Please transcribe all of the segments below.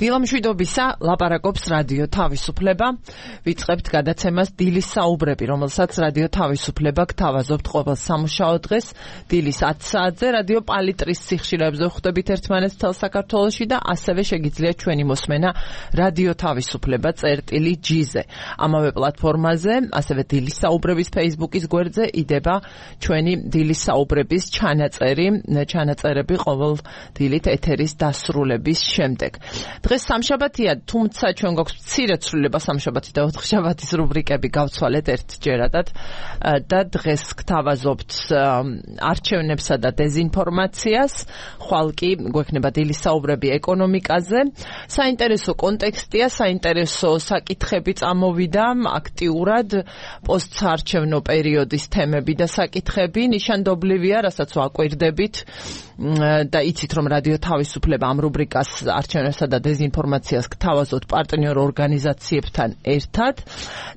დილამშვიდობისა, ლაპარაკობს რადიო თავისუფლება. ვიწყებთ გადაცემას დილის საუბრები, რომელსაც რადიო თავისუფლება გთავაზობთ ყოველ სამუშაო დღეს დილის 10 საათზე რადიო პალიტრის სიხშირეებზე ხვდებით ერთმანეთს მთელ საქართველოში და ასევე შეგიძლიათ ჩვენი მოსმენა რადიო თავისუფლება წერტილი-G-ზე. ამავე პლატფორმაზე, ასევე დილის საუბრების Facebook-ის გვერდზე იდება ჩვენი დილის საუბრების ჩანაწერები ყოველ დილით ეთერის დასრულების შემდეგ. დღეს სამშაბათია, თუმცა ჩვენ გვაქვს მცირე ცვლილება სამშაბათი და ოთხშაბათის რუბრიკები გავცვალეთ ერთჯერადად და დღეს გთავაზობთ არჩევნებსა და დეზინფორმაციას, ხვალ კი გვექნება დილის საუბრები ეკონომიკაზე. საინტერესო კონტექსტია, საინტერესო საკითხები წამოვიდა აქტიურად, პოსტსაარჩევნო პერიოდის თემები და საკითხები ნიშანდობლივია, რასაც ვაკვირდებით და იცით რომ რადიო თავისუფლება ამ რუბრიკას არჩევნებსა და დეზინფორმაციას გთავაზობთ პარტნიორ ორგანიზაციებთან ერთად.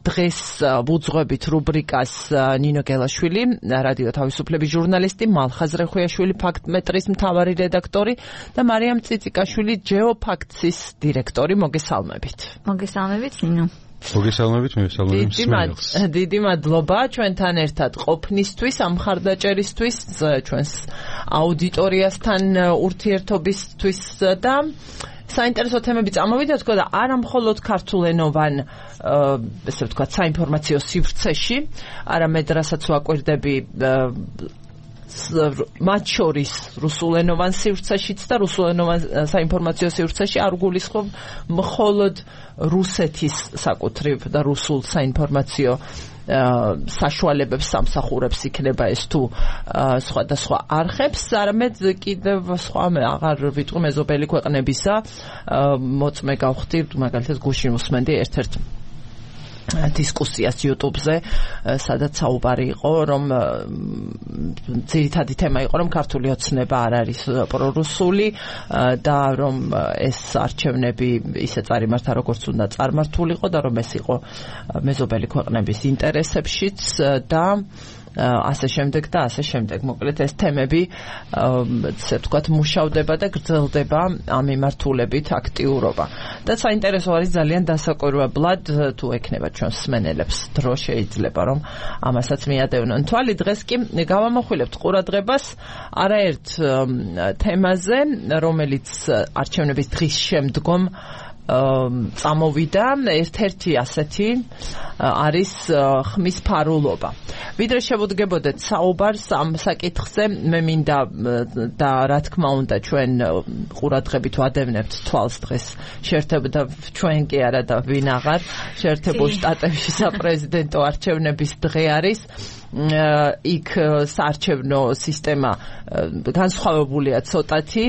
დღეს ვუძღვებით რუბრიკას ნინო გელაშვილი, რადიო თავისუფლების ჟურნალისტი, მალხაზ რეხუიაშვილი, ფაქტმეტრის მთავარი რედაქტორი და მარიამ წიწიკაშვილი, ჯეოფაქტსის დირექტორი. მოგესალმებით. მოგესალმებით, ნინო. მოგესალმებით, მსმენელს. დიდი მადლობა ჩვენთან ერთად ყოფნისთვის, ამ მხარდაჭერისთვის, ჩვენს აუდიტორიასთან ურთიერთობისთვის და საინტერესო თემები წამოვიდა თქო და არა მხოლოდ ქართულენოვან ესე ვთქვათ საინფორმაციო სივრცეში, არამედ რასაც ვაკვირდები მათ შორის რუსულენოვან სივრცეშიც და რუსულენოვან საინფორმაციო სივრცეში არ გულისხმობ მხოლოდ რუსეთის საკუთრივ და რუსულ საინფორმაციო საშუალებებს სამსახურებს იქნება ეს თუ სხვადასხვა არხებს, არამედ კიდევ სხვა აღარ ვიტყვი მეზობელი ქვეყნებისა მოწმე გავხდით, მაგალითად გუშინ უსმენდი ერთ-ერთ დისკუსიას YouTube-ზე, სადაც საუბარი იყო, რომ ძირითადი თემა იყო, რომ ქართული ოცნება არ არის პრორუსული და რომ ეს არჩევნები ისე წარიმართა, როგორც უნდა წარმართულიყო და რომ ეს იყო მეზობელი ქვეყნების ინტერესებშიც და ასე შემდეგ და ასე შემდეგ. მოკლედ ეს თემები ესე ვთქვათ მუშავდება და გრძელდება ამ მიმართულებით აქტიურობა. და საინტერესო არის ძალიან დასაკვირვებლად თუ ექნება ჩვენს მსმენელებს დრო შეიძლება რომ ამასაც მიადევნონ თვალი. დღეს კი გავამახვილებთ ყურადღებას არაერთ თემაზე, რომელიც არჩევნების დღის შემდგომ წამოვიდა. ერთ-ერთი ასეთი არის ხმის ფარულობა. ვიდრე შევუდგებოდეთ საუბარს ამ საკითხზე, მე მინდა და რა თქმა უნდა ჩვენ ყურადღებით ვადევნებთ თვალს დღეს შეერთებოდა ჩვენ კი არა და ვინ აღარ შეერთებულ შტატებში საპრეზიდენტო არჩევნების დღე არის. იქ საარჩევნო სისტემა განსხვავებულია ცოტათი.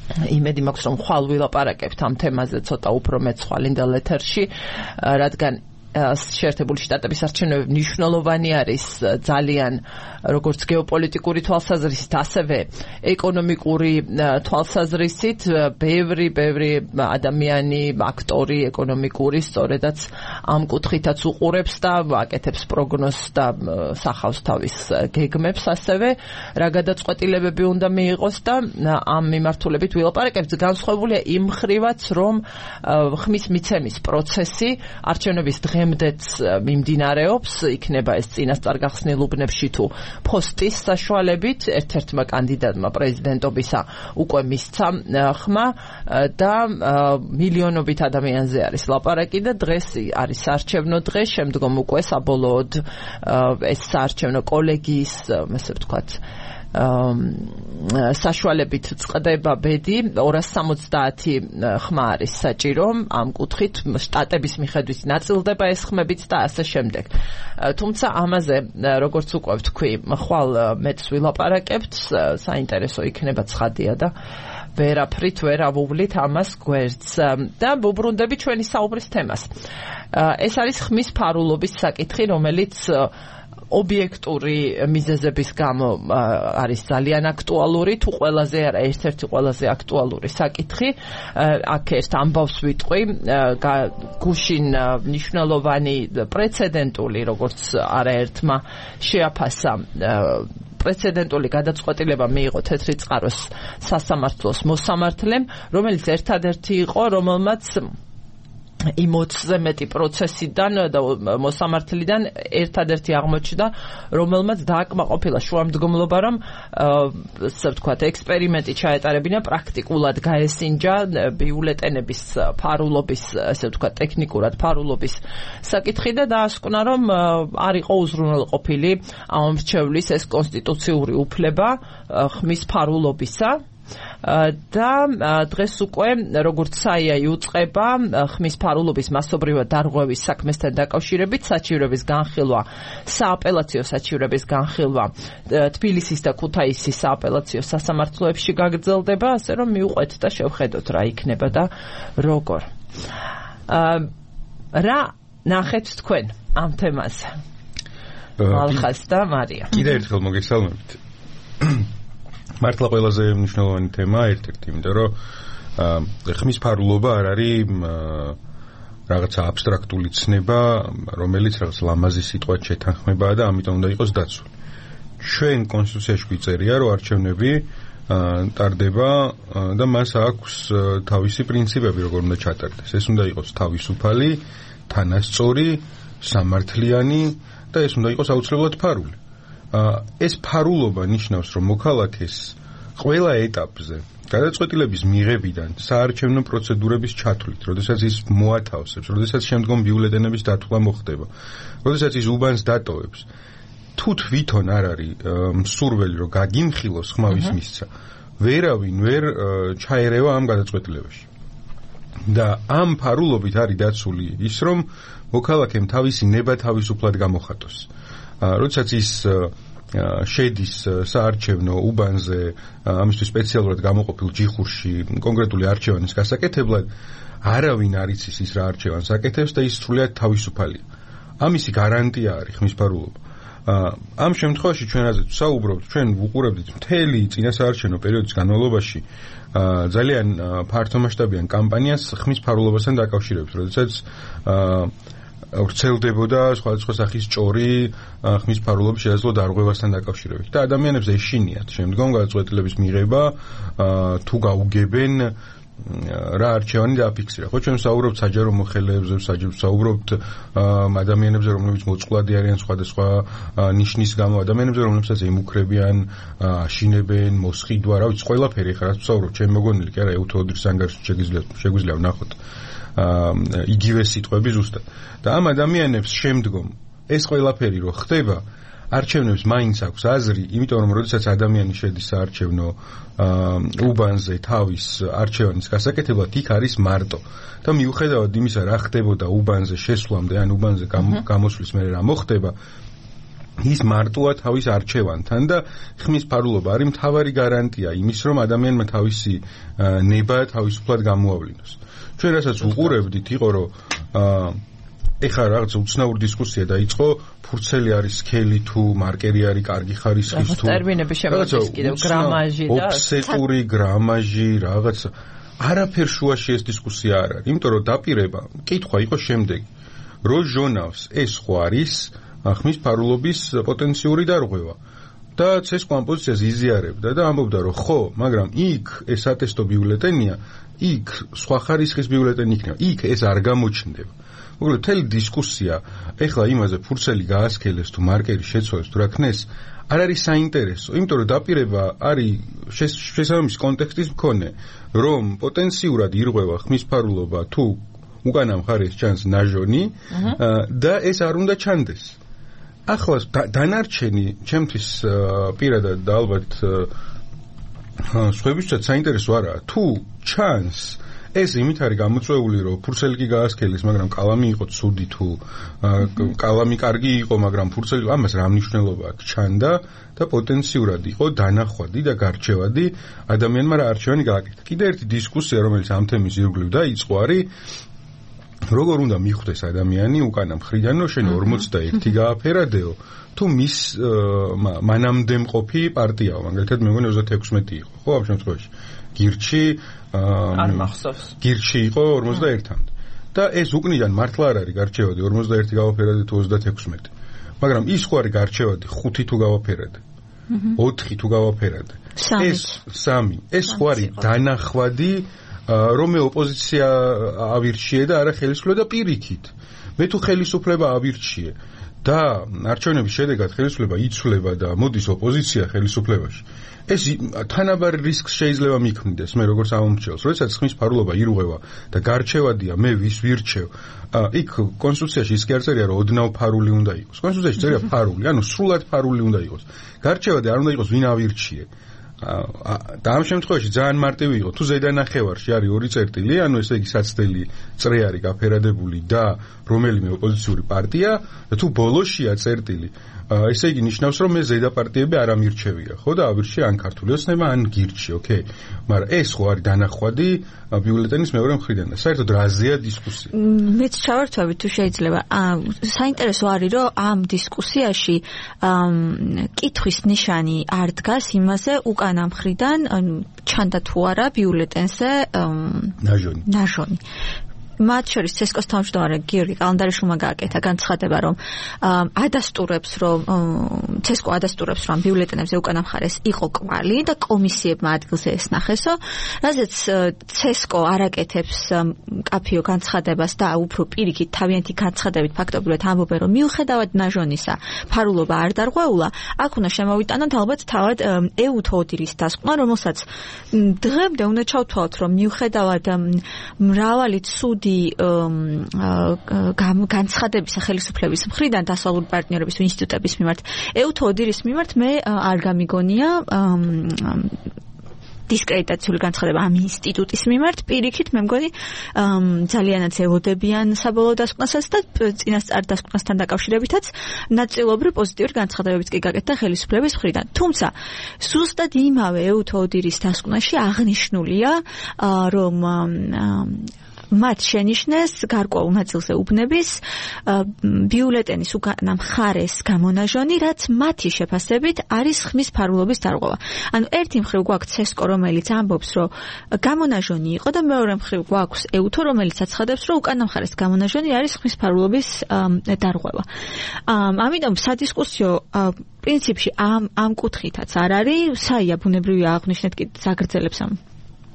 იმედი მაქვს რომ ხვალ ვილაპარაკებთ ამ თემაზე ცოტა უფრო მეცვალინდელ ეთერში, რადგან შეერთებული შტატების არჩევნები მნიშვნელოვანი არის ძალიან როგორც გეოპოლიტიკური თვალსაზრისით, ასევე ეკონომიკური თვალსაზრისით. ბევრი ადამიანი, აქტორი ეკონომიკური სწორედაც ამ კუთხითაც უყურებს და აკეთებს პროგნოზს და სახავს თავის გეგმებს ასევე, რა გადაწყვეტილებები უნდა მიიღოს და ამ მიმართულებით ვილაპარაკებთ. განსხვავებულია იმ მხრივაც, რომ ხმის მიცემის პროცესი არჩევნების დღემდეც მიმდინარეობს, იქნება ეს წინასწარ გახსნილ უბნებში თუ ფოსტის საშუალებით. ერთ-ერთმა კანდიდატმა პრეზიდენტობისა უკვე მისცა ხმა და მილიონობით ადამიანზე არის ლაპარაკი და დღეს არის საარჩევნო დღე, შემდგომ უკვე საბოლოოდ ეს საარჩევნო კოლეგიის, ასე ვთქვათ, საშუალებით წყდება ბედი. 270 ხმა არის საჭირო ამ კუთხით, შტატების მიხედვით ნაწილდება ეს ხმებიც და ასე შემდეგ. თუმცა ამაზე როგორც უკვე ვთქვი, ხვალ მეც ვილაპარაკებთ, საინტერესო იქნება ცხადია და ვერაფრით ვერ ავუვლით ამას გვერდს და ვუბრუნდები ჩვენი საუბრის თემას. ეს არის ხმის ფარულობის საკითხი, რომელიც ობიექტური მიზეზების გამო არის ძალიან აქტუალური, თუ ყველაზე არა ერთ-ერთი ყველაზე აქტუალური საკითხი. აქ ერთ ამბავს ვიტყვი, გუშინ მნიშვნელოვანი პრეცედენტული, როგორც არაერთმა შეაფასა პრეცედენტული გადაწყვეტილება მიიღო თეთრი წყაროს სასამართლოს მოსამართლემ, რომელიც ერთადერთი იყო, რომელმაც იმ 20-ზე მეტი პროცესიდან და მოსამართლიდან ერთადერთი აღმოჩნდა, რომელმაც დააკმაყოფილა შუამდგომლობა, რომ ასე ვთქვათ, ექსპერიმენტი ჩაეტარებინა, პრაქტიკულად გაესინჯა ბიულეტენების ფარულობის, ასე ვთქვათ, ტექნიკურად ფარულობის საკითხი და დაასკვნა, რომ არ იყო უზრუნველყოფილი ამ მრჩევლის ეს კონსტიტუციური უფლება ხმის ფარულობისა. და დღეს უკვე როგორც საია იუწყება ხმის ფარულობის მასობრივად დარღვევის საქმესთან დაკავშირებით საჩივრების განხილვა, სააპელაციო საჩივრების განხილვა თბილისის და ქუთაისის სააპელაციო სასამართლოებში გაგრძელდება, ასე რომ მივყვეთ და შევხედოთ რა იქნება და როგორ. რა ნახეთ თქვენ ამ თემაზე? ალხას და მარია. კიდევ ერთხელ მოგესალმებით. მართლა ყველაზე მნიშვნელოვანი თემაა ერთ-ერთი, იმიტომ რომ ხმის ფარულობა არ არის რაღაცა აბსტრაქტული ცნება, რომელიც რაღაც ლამაზი სიტყვად შეთანხმებაა და ამიტომ უნდა იყოს დაცული. ჩვენ კონსტიტუციაში გვიწერია, რომ არჩევნები ტარდება და მას აქვს თავისი პრინციპები, როგორ უნდა ჩატარდეს. ეს უნდა იყოს თავისუფალი, თანასწორი, სამართლიანი და ეს უნდა იყოს აუცილებლად ფარული. ეს ფარულობა ნიშნავს, რომ მოქალაქეს ყველა ეტაპზე გადაწყვეტილების მიღებიდან საარჩევნო პროცედურების ჩათვლით, როდესაც ის მოათავსებს, როდესაც შემდგომ ბიულეტენების დათვლა მოხდება, როდესაც ის უბანს დატოვებს, თუ თვითონ არ არის მსურველი, რომ გაგიმხილოს ხმავის მისცა, ვერავინ ვერ ჩაერევა ამ გადაწყვეტილებაში. და ამ ფარულობით არის დაცული ის, რომ მოქალაქემ თავისი ნება თავისუფლად გამოხატოს. როდესაც ის შედის საარჩევნო უბანზე ამისთვის სპეციალურად გამოყოფილ ჯიხურში კონკრეტული არჩევანის გასაკეთებლად, არავინ არ იცის ის რა არჩევანს აკეთებს და ის სრულიად თავისუფალია. ამისი გარანტია არის ხმის ფარულობა. ამ შემთხვევაში ჩვენ რაზეც ვსაუბრობთ, ჩვენ ვუყურებდით მთელი წინასაარჩევნო პერიოდის განმავლობაში ძალიან ფართომასშტაბიან კამპანიას ხმის ფარულობასთან დაკავშირებით, როდესაც ვრცელდებოდა სხვადასხვა სახის ჭორი ხმის ფარულობის შესაძლო დარღვევასთან დაკავშირებით და ადამიანებს ეშინიათ შემდგომ გადაწყვეტილების მიღება თუ გაუგებენ რა არჩევანი დააფიქსირა. ხო, ჩვენ ვსაუბრობთ საჯარო მოხელეებზე, ვსაუბრობთ ადამიანებზე, რომლებიც მოწყვლადი არიან სხვადასხვა ნიშნის გამო, ადამიანებზე, რომლებსაც ემუქრებიან, აშინებენ, მოსყიდვა, რა ვიცი, ყველაფერი ხარ რაც ვსაუბრობ, ჩემი მოგონილი კი არა, ეუთოოდრის ანგარიშში შეგვიძლია ვნახოთ იგივე სიტყვები ზუსტად. და ამ ადამიანებს შემდგომ ეს ყველაფერი რო ხდება, არჩევნებს მაინც აქვს აზრი, იმიტომ რომ როდესაც ადამიანი შედის საარჩევნო უბანზე თავის არჩევანის გასაკეთებლად, იქ არის მარტო. და მიუხედავად იმისა, რა ხდებოდა უბანზე შესვლამდე, ან უბანზე გამოსვლის მერე რა მოხდება, ის მარტოა თავის არჩევანთან და ხმის ფარულობა არის მთავარი გარანტია იმის, რომ ადამიანმა თავისი ნება თავისუფლად გამოავლინოს. ჩვენ რასაც უყურებდით, იყო რომ ეხლა რაღაც უცნაური დისკუსია დაიწყო, ფურცელი არის სქელი თუ მარკერი არის კარგი ხარისხის თუ ტერმინები შემოდის კიდევ გრამაჟი და ოფსეტური გრამაჟი რაღაც არაფერ შუაში ეს დისკუსია არ არის, იმიტომ რომ დაპირება კითხვა იყო შემდეგი, რო ჟონავს ეს ხო არის ხმის ფარულობის პოტენციური დარღვევა და ეს კომპოზიციას იზიარებდა და ამბობდა რომ ხო, მაგრამ იქ ეს ატესტო ბიულეტენია, იქ სხვა ხარისხის ბიულეტენი იქნება, იქ ეს არ გამოჩნდება. მოკლედ მთელი დისკუსია ეხლა იმაზე ფურცელი გაასქელეს თუ მარკერი შეცვალეს თუ რა ქნეს არ არის საინტერესო, იმიტომ რომ დაპირება არის შესაბამის კონტექსტის მქონე, რომ პოტენციურად ირღვევა ხმის ფარულობა თუ უკანა მხარეს ჩანს ნაჟონი და ეს არ უნდა ჩანდეს. ახლა დანარჩენი ჩემთვის პირადად და ალბათ სხვებისთვისაც საინტერესო არაა, თუ ჩანს ეს იმით არის გამოწვეული, რომ ფურცელი კი გაასქელეს, მაგრამ კალამი იყო ცუდი თუ კალამი კარგი იყო, მაგრამ ფურცელი ამას რა მნიშვნელობა აქვს? ჩანდა და პოტენციურად იყო დანახვადი და გარჩევადი ადამიანმა რა არჩევანი გააკეთა. კიდევ ერთი დისკუსია, რომელიც ამ თემის ირგვლივ დაიწყო, არის როგორ უნდა მიხვდეს ადამიანი უკანა მხრიდან, რომ შენ 41 გააფერადეო, თუ მის მანამდე მყოფი პარტიაო, მაგალითად მე მგონი 36 იყო, ხო, ამ შემთხვევაში გირჩი არ მახსოვს. გირჩი იყო 41-მდე. და ეს უკნიდან მართლა არ არის გარჩევადი 41 გავაფერადე თუ 36. მაგრამ ის ხო არის გარჩევადი 5 თუ გავაფერადე. 4 თუ გავაფერადე. ეს ხო არის დანახვადი რომ ოპოზიცია ავირჩიე და არა ხელისუფლება და პირიქით. მე თუ ხელისუფლება ავირჩიე და არჩევნების შედეგად ხელისუფლება იცვლება და მოდის ოპოზიცია ხელისუფლებაში. ეს თანაბარ რისკს შეიძლება მიქმნიდეს მე როგორც ამომრჩევლს, როდესაც ხმის ფარულობა ირღვევა და გარჩევადია მე ვის ვირჩევ. იქ კონსტიტუციაში ის კი არ წერია რომ ოდნავ ფარული უნდა იყოს. კონსტიტუციაში წერია ფარული, ანუ სრულად ფარული უნდა იყოს. გარჩევადი არ უნდა იყოს ვინ ავირჩიე. და ამ შემთხვევაში ძალიან მარტივი იყო. თუ ზედანახევარში არის 2 წერტილი, ანუ ესე იგი საცდელი წრე არის გაფერადებული და რომელიმე ოპოზიციური პარტია, და თუ ბოლოშია წერტილი, ესე იგი ნიშნავს რომ მე ზედაპარტიები არ ამირჩევია, ხო და ავირჩიე ან ქართული ოცნება, ან გირჩი, ოკეი. მაგრამ ეს ხო არის დანახვადი ბიულეტენის მეორე მხრიდან და საერთოდ რაზეა დისკუსია. მეც ჩავერთვები თუ შეიძლება. საინტერესო არის რომ ამ დისკუსიაში კითხვის ნიშანი არ დგას იმაზე უკანა მხრიდან ჩანდა თუ არა ბიულეტენზე ნაჟონი. მათ შორის ცესკოს თავმჯდომარე გიორგი კალანდარიშვილმა გააკეთა განცხადება, რომ ადასტურებს, რომ ცესკო ადასტურებს, რომ ბიულეტენებზე უკანა მხარეს იყო კვალი და კომისიებმა ადგილზე ესნახესო, რაზეც ცესკო არაკეთებს კაფიო განცხადებას და უფრო პირიქით თავიანთი განცხადებით ფაქტობრივად ამბობენ, რომ მიუხედავად ნაჟონისა ფარულობა არ დარღვეულა, აქ უნდა შემოვიტანოთ ალბათ თავად ეუთო ოდირის დასკვნა, რომელსაც დღემდე უნდა ჩავთვალოთ, რომ მიუხედავად მრავალი ცუდი განცხადებისა ხელისუფლების მხრიდან დასავლური პარტნიორების ინსტიტუტების მიმართ ეუთო ოდირის მიმართ მე არ გამიგონია დისკრედიტაციული განცხადება ამ ინსტიტუტის მიმართ. პირიქით მე მგონი ძალიანაც ევოდებიან საბოლოო დასკვნასაც და წინასწარ დასკვნასთან დაკავშირებითაც ნაწილობრივ პოზიტიური განცხადებებიც კი გაკეთდა ხელისუფლების მხრიდან. თუმცა ზუსტად იმავე ეუთო ოდირის დასკვნაში აღნიშნულია რომ მათ შენიშნეს გარკვეულ ნაწილზე უბნების ბიულეტენის უკანა მხარეს გამონაჟონი, რაც მათი შეფასებით არის ხმის ფარულობის დარღვევა. ანუ ერთი მხრივ გვაქვს ცესკო, რომელიც ამბობს, რომ გამონაჟონი იყო და მეორე მხრივ გვაქვს ეუთო, რომელიც აცხადებს, რომ უკანა მხარეს გამონაჟონი არის ხმის ფარულობის დარღვევა. ამიტომ სადისკუსიო პრინციპში ამ კუთხითაც არ არის, საია ბუნებრივია აღნიშნეთ კი ზაგრძელებს ამ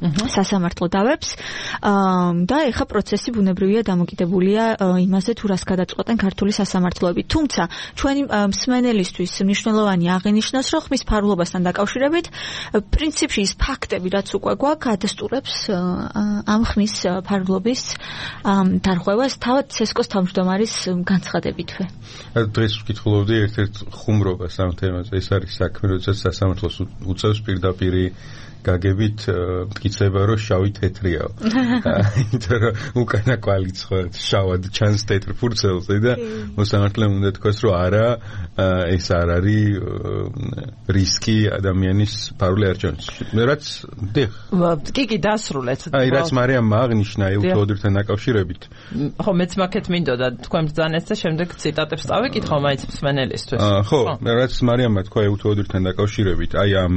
სასამართლო დავებს და ეხა პროცესი ბუნებრივია დამოკიდებულია იმაზე თუ რას გადაწყვეტენ ქართული სასამართლოები. თუმცა ჩვენი მსმენელისთვის მნიშვნელოვანი აღინიშნოს, რომ ხმის ფარულობასთან დაკავშირებით პრინციპში ის ფაქტები, რაც უკვე გვაქვს, ადასტურებს ამ ხმის ფარულობის დარღვევას თავად ცესკოს თავმჯდომარის განცხადებითვე. დღეს ვკითხულობდი ერთ-ერთ ხუმრობას ამ თემაზე. ეს არის საქმე, როდესაც სასამართლოს უწევს პირდაპირ გაგებით მტკიცება, რომ შავი თეთრიაო. იმიტომ რომ უკანა კვალი შავად ჩანს თეთრ ფურცელზე და მოსამართლემ უნდა თქვას, რომ არა, ეს არ არის რისკი ადამიანის ფარული არჩევნის. რაც კი დასრულეთ. რაც მარიამმა აღნიშნა ეუთო ოდირთან დაკავშირებით. ხო, მეც მაქეთ მინდოდა თქვენ ბრძანეთ და შემდეგ ციტატებს წავიკითხო მაინც მსმენელისთვის. ხო, რაც მარიამმა თქვა ეუთო ოდირთან დაკავშირებით, აი ამ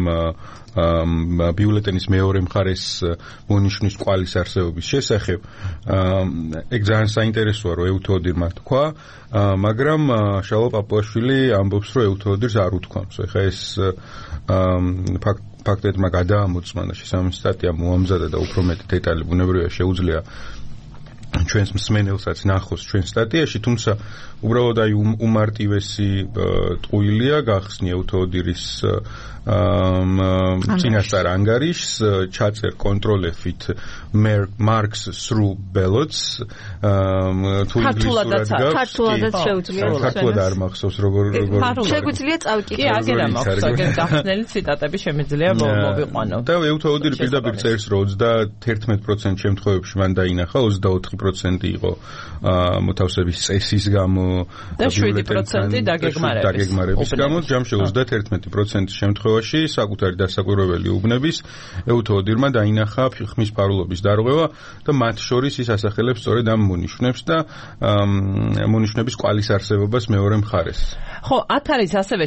ბიულეტენის მეორე მხარეს მონიშნვის კვალის არსებობის შესახებ, ეგ ძალიან საინტერესოა, რომ ეუთო ოდირმა თქვა, მაგრამ შალო პაპუაშვილი ამბობს, რომ ეუთო ოდირს არ უთქვამს. ეხლა ეს ფაქტებმა გადაამოწმანა შესაბამისი სტატია მოამზადა და უფრო მეტი დეტალი ბუნებრივია შეუძლია ჩვენს მსმენელსაც ნახოს ჩვენ სტატიაში, თუმცა უბრალოდ აი უმარტივესი ტყუილია გახსნი ეუთო ოდირის წინასწარ ანგარიშს, ჩაწერ კონტროლებით marks through ballots, თუ ინგლისურად გავს, ქართულადაც შეუძლია. ქართულად არ მახსოვს როგორ შეგვიძლია წავიკითხო. კი, აგერა მაქვს, აგერ გახსნელი ციტატები შემიძლია მოვიყვანო. და ეუთო ოდირი პირდაპირ წერს, რომ 31% შემთხვევებში მან დაინახა, 24% იყო მოთავსების წესის გამო და 7% დაგეგმარების გამო, ჯამში 31% შემთხვევაში საკუთარი დასაკვირვებელი უბნების ეუთო ოდირმა დაინახა ხმის ფარულობის დარღვევა და მათ შორის ის ასახელებს სწორედ ამ მონიშნებს და მონიშნების კვალის არსებობას მეორე მხარეს. ხო, ათ არის ასევე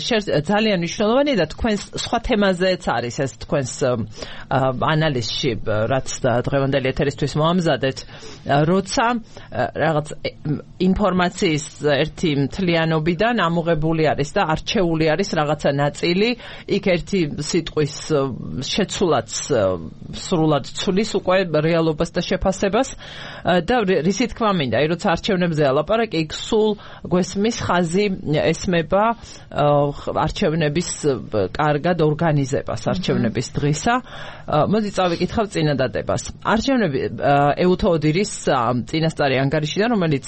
ძალიან მნიშვნელოვანი და თქვენს სხვა თემაზეც არის ეს თქვენს ანალიზში, რაც დღევანდელი ეთერისთვის მოამზადეთ, როცა როცა რაღაც ინფორმაციის ერთი მთლიანობიდან ამოღებული არის და არჩეული არის რაღაცა ნაწილი, იქ ერთი სიტყვის შეცვლაც სრულად ცulis უკვე რეალობას და შეფასებას და რისი თქმა მინდა, როცა არჩევნებზე ალაპარაკი, იქ სულ გვესმის ხაზი ესმება არჩევნების კარგად ორგანიზებას, არჩევნების დღისა. მოდი წავიკითხავ წინადადებას. არჩევნები ეუთოოდირის წინასწარი ანგარიშიდან, რომელიც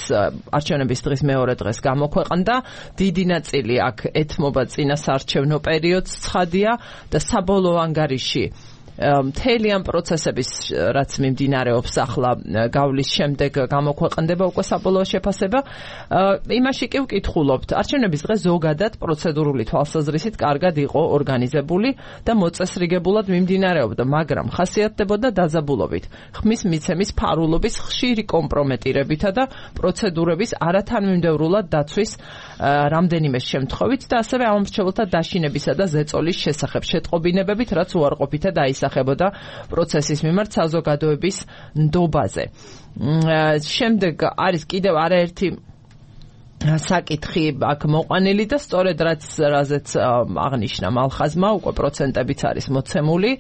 არჩევნების დღის მეორე დღეს გამოქვეყნდა, დიდი ნაწილი აქ ეთმობა წინასაარჩევნო პერიოდს, ცხადია და საბოლოო ანგარიში მთელი ამ პროცესების რაც მიმდინარეობს ახლა გავლის შემდეგ გამოქვეყნდება უკვე საბოლოო შეფასება. იმაში კი ვკითხულობთ, არჩევნების დღე ზოგადად პროცედურული თვალსაზრისით კარგად იყო ორგანიზებული და მოწესრიგებულად მიმდინარეობდა, მაგრამ ხასიათდებოდა დაძაბულობით, ხმის მიცემის ფარულობის ხშირი კომპრომეტირებითა და პროცედურების არათანმიმდევრულად დაცვის რამდენიმე შემთხვევით და ასევე ამომრჩეველთა დაშინებისა და ზეწოლის შესახებ შეტყობინებებით, რაც უარყოფითად აისახებოდა პროცესის მიმართ საზოგადოების ნდობაზე. შემდეგ არის კიდევ არაერთი საკითხი აქ მოყვანილი და სწორედ რაზეც აღნიშნა მალხაზმა, უკვე პროცენტებიც არის მოცემული.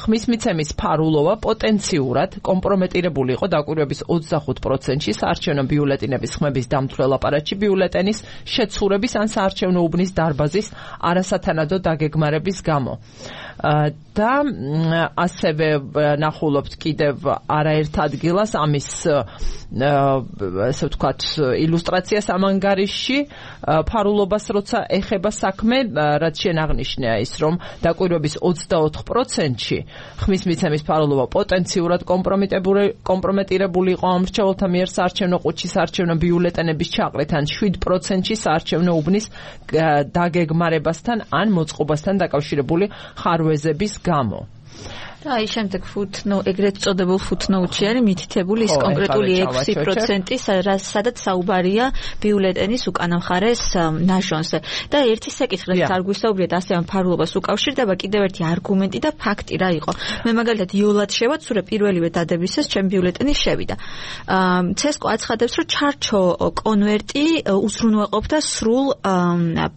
ხმის მიცემის ფარულობა პოტენციურად კომპრომეტირებული იყო დაკვირვების 25%-ში საარჩევნო ბიულეტენების ხმების დამცველ აპარატში ბიულეტენის შეცურების ან საარჩევნო უბნის დარბაზის არასათანადო დაგეგმარების გამო. და ასევე ნახულობთ კიდევ არაერთ ადგილას ამის ესე ვთქვათ ილუსტრაციას ამ ანგარიშში ფარულობას როცა ეხება საქმე, რაც შენ აღნიშნია ის, რომ დაკვირვების 24%-ში ხმის მიცემის ფარულობა პოტენციურად კომპრომეტირებული იყო ამრჩეველთა მიერ საარჩევნო ყუთში საარჩევნო ბიულეტენების ჩაყრით ან 7%-ში საარჩევნო უბნის დაგეგმარებასთან ან მოწყობასთან დაკავშირებული ხარვეზების გამო. და აი შემდეგ ეგრეთ წოდებულ footnote-ში არის მითითებული ის კონკრეტული 6%, სადაც საუბარია ბიულეტენის უკანა მხარეს ნაჟონზე. და ერთი საკითხი, რაც არ გვისაუბრეთ ასე ამ ფარულობას უკავშირდება, კიდევ ერთი არგუმენტი და ფაქტი რა იყო. მე მაგალითად იოლად შევაცურე პირველივე დადებისას ჩემ ბიულეტენის შევიდა. CESCO აცხადებს, რომ ჩარჩო კონვერტი უზრუნველყოფდა სრულ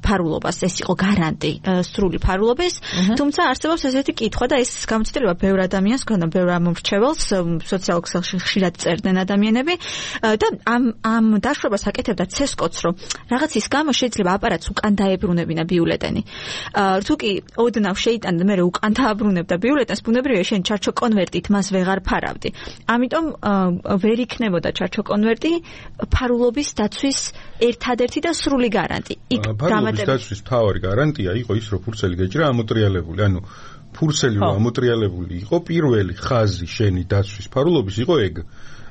ფარულობას, ეს იყო გარანტი სრული ფარულობის, თუმცა არსებობს ესეთი კითხვა და ეს გამოცდილება ბევრ ადამიანს ქონდა, ბევრ ამომრჩეველს სოციალურ ქსელში ხშირად წერდნენ ადამიანები და ამ დაშვებას აკეთებდა CESCO-ც, რომ რაღაცის გამო შეიძლება აპარატს უკან დაებრუნებინა ბიულეტენი. თუ კი ოდნავ შეიტანდა მე უკან დააბრუნებდა ბიულეტენს, ბუნებრივია შენ ჩარჩო კონვერტით მას ვეღარ ფარავდი. ამიტომ ვერ იქნებოდა ჩარჩო კონვერტი ფარულობის დაცვის ერთადერთი და სრული გარანტი. ფარულობის დაცვის მთავარი გარანტია იყო ის, რომ ფურცელი გეჭირა ამოტრიალებული, ანუ ფურცელი ამოტრიალებული იყო პირველი ხაზი შენი დაცვის ფარულობის იყო ეგ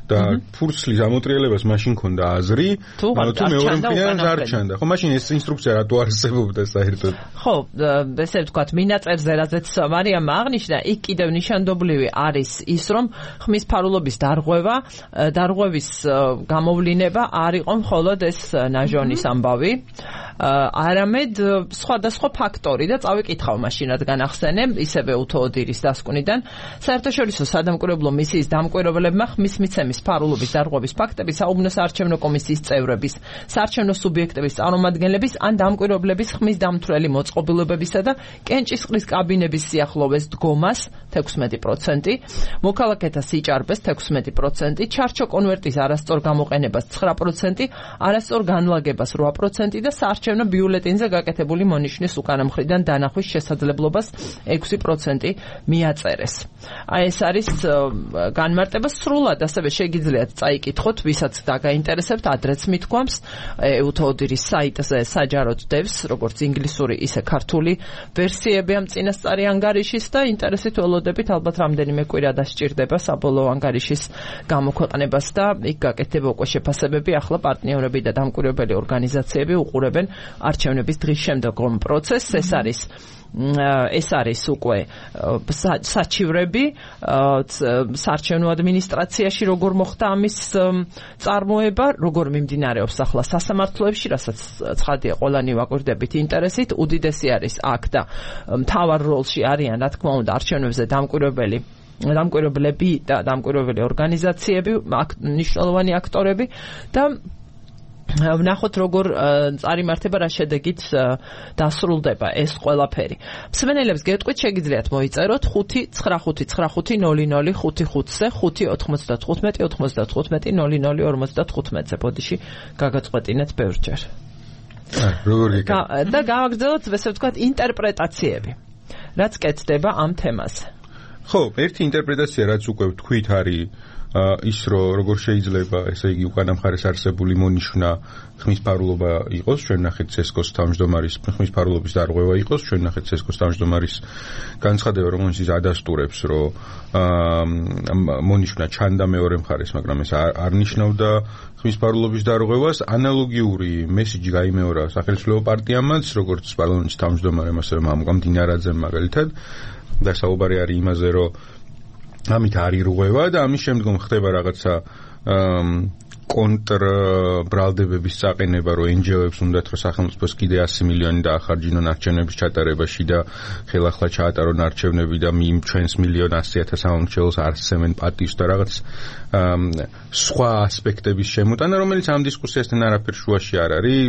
და ფურცლის ამოტრიალებას მაშინ ქონდა აზრი, მაგრამ თუ მეორე მხრიდან დარჩენდა. ხო, მაშინ ეს ინსტრუქცია რატო არსებობდა საერთოდ? ხო, ესე ვთქვათ, მინაწერზე რაზეც მარიამმა აღნიშნა, იქ კიდევ ნიშანდობლივი არის ის, რომ ხმის ფარულობის დარღვევის გამოვლინება არ იყო მხოლოდ ეს ნაჟონის ამბავი, არამედ სხვადასხვა ფაქტორი და წავიკითხავ მაშინ, რადგან ახსენე, ისევე უთოოდირის დასკვნიდან, საერთაშორისო სადამკვირვებლო მისიის დამკვირვებლებმა ხმის მიცემის ფარულობის დარღვევის ფაქტები საუბნო საარჩევნო კომისიის წევრების, საარჩევნო სუბიექტების წარმომადგენლების ან დამკვირვებლების ხმის დამთვრელი მოწყობილობებისა და კენჭისყრის კაბინების სიახლოვეს დგომას 16%, მოქალაქეთა სიჭარბეს 16%, ჩარჩო კონვერტის არასწორ გამოყენებას 9%, არასწორ განლაგებას 8% და საარჩევნო ბიულეტენზე გაკეთებული მონიშნის უკანა მხრიდან დანახვის შესაძლებლობას 6% მიაწერეს. აი ეს არის განმარტება სრულად, ასევე შეგიძლიათ წაიკითხოთ, ვისაც დაგაინტერესებთ, ადრეც მithქვამს, უთოოდირის საიტზე საჯაროდ დევს, როგორც ინგლისური, ისე ქართული ვერსიები ამ წინასწარი ანგარიშის და ინტერესით ველოდებით, ალბათ რამდენიმე კვირა დასჭირდება საბოლოო ანგარიშის გამოქვეყნებას და იქ გაკეთდება უკვე შეფასებები, ახლა პარტნიორები და დამკვირვებელი ორგანიზაციები უყურებენ არჩევნების დღის შემდგომ პროცესს. ეს არის უკვე საჩივრები საარჩევნო ადმინისტრაციაში, როგორ მოხდა ამის წარმოება, როგორ მიმდინარეობს ახლა სასამართლოებში, რასაც ცხადია ყველანი ვაკვირდებით ინტერესით. უდიდესი არის აქ და მთავარ როლში არიან, რა თქმა უნდა, არჩევნებზე დამკვირვებელი დამკვირვებლები და დამკვირვებელი ორგანიზაციები, მნიშვნელოვანი აქტორები და ვნახოთ როგორ წარიმართება რა შედეგით დასრულდება ეს ყველაფერი. მსმენელებს გეტყვით შეგიძლიათ მოიწეროთ 595550055-ზე 595-95-95-00-55-ზე ბოდიში გაგაწყვეტინეთ ბევრჯერ. და გავაგრძელოთ ესე ვთქვათ ინტერპრეტაციები. რაც კეთდება ამ თემაზე. ხო, ერთი ინტერპრეტაცია რაც უკვე ვთქვით არის ის როგორ შეიძლება ესე იგი უკანა მხარეს არსებული მონიშნა ხმისფარულობა იყოს, ჩვენ ნახეთ CSKO-ს თავმჯდომარის ხმისფარულობის დარღვევა იყოს, ჩვენ ნახეთ CSKO-ს თავმჯდომარის განცხადება, რომელიც ის ადასტურებს, რომ მონიშნა ჩანდა მეორე მხარეს, მაგრამ ეს არ ნიშნავდა ხმისფარულობის დარღვევას. ანალოგიური მესიჯი გაიმეორა სახელმწიფო პარტიამაც, როგორც პარლამენტის თავმჯდომარემ, ასევე მამუკამ მაგალითად, და საუბარი არის იმაზე, რომ ამით არ ირღვევა და ამის შემდგომ ხდება რაღაცა კონტრბრალდებების წაყენება, რომ NGO-ებს უნდათ რომ სახელმწიფოს კიდე 100 მილიონი დაახარჯინონ არჩევნების ჩატარებაში და ხელახლა ჩაატარონ არჩევნები და ჩვენს 1,100,000 სამომრჩეველს არსებენ პატივს და რაღაც სხვა ასპექტების შემოტანა, რომელიც ამ დისკუსიასთან არაფერ შუაში არ არის.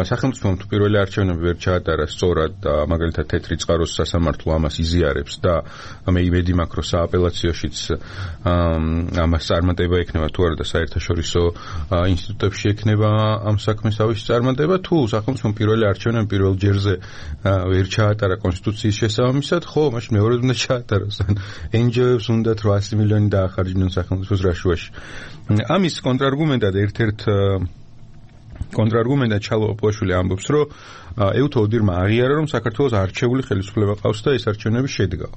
სახელმწიფომ თუ პირველი არჩევნები ვერ ჩაატარა სწორად და მაგალითად თეთრი წყაროს სასამართლო ამას იზიარებს და მე იმედი მაქვს, რომ სააპელაციოშიც ამას წარმატება ექნება თუ არა და საერთაშორისო ინსტიტუტებში ექნება ამ საქმეს ავისი წარმატება. თუ სახელმწიფომ პირველი არჩევნები პირველ ჯერზე ვერ ჩაატარა კონსტიტუციის შესაბამისად, ხო, მაშინ მეორედ უნდა ჩაატაროს. NGO-ებს უნდათ 100 მილიონი დაახარჯინონ სახელმწიფოს რაშუაში. ამის კონტრარგუმენტად კონტრარგუმენტად ჩალო ოპოშვილი ამბობს, რომ ეუთო ოდირმა აღიარა, რომ საქართველოს არჩეული ხელისუფლება ყავს და ეს არჩევნები შედგა.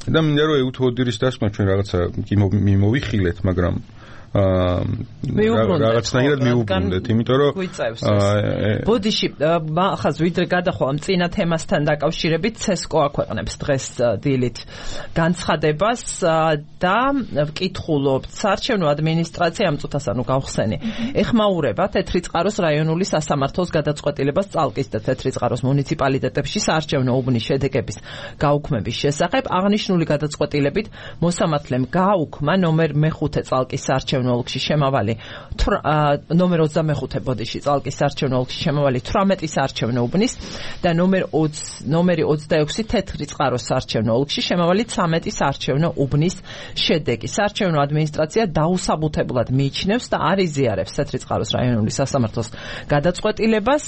და მინდა რომ ეუთო ოდირის დასკვნა ჩვენ რაღაცა მიმოვიხილეთ, მაგრამ რაღაცნაირად მიუბრუნდეთ, იმიტომ რომ ბოდიში ახაც ვიდრე გადახვა ამ წინა თემასთან დაკავშირებით CSKO აქვეყნებს დღეს დილით განცხადებას და ვკითხულობთ საარჩევნო ადმინისტრაცია ამ წუთას ანუ გავხსენი ეხმაურება თეთრი წყაროს რაიონული სასამართლოს გადაწყვეტილებას წალკის და თეთრი წყაროს მუნიციპალიტეტებში საარჩევნო უბნის შედეგების გაუქმების შესახებ. აღნიშნული გადაწყვეტილებით მოსამართლემ გააუქმა ნომერ მე-5 წალკის საარჩევნო ოლქში შემავალი ნომერ 25 ბოდიში წალკის საარჩევნო ოლქში შემავალი 18 საარჩევნო უბნის და ნომერი 26 თეთრი წყაროს საარჩევნო ოლქში შემავალი 13 საარჩევნო უბნის შედეგი. საარჩევნო ადმინისტრაცია დაუსაბუთებულად მიიჩნევს და არ იზიარებს თეთრი წყაროს რაიონული სასამართლოს გადაწყვეტილებას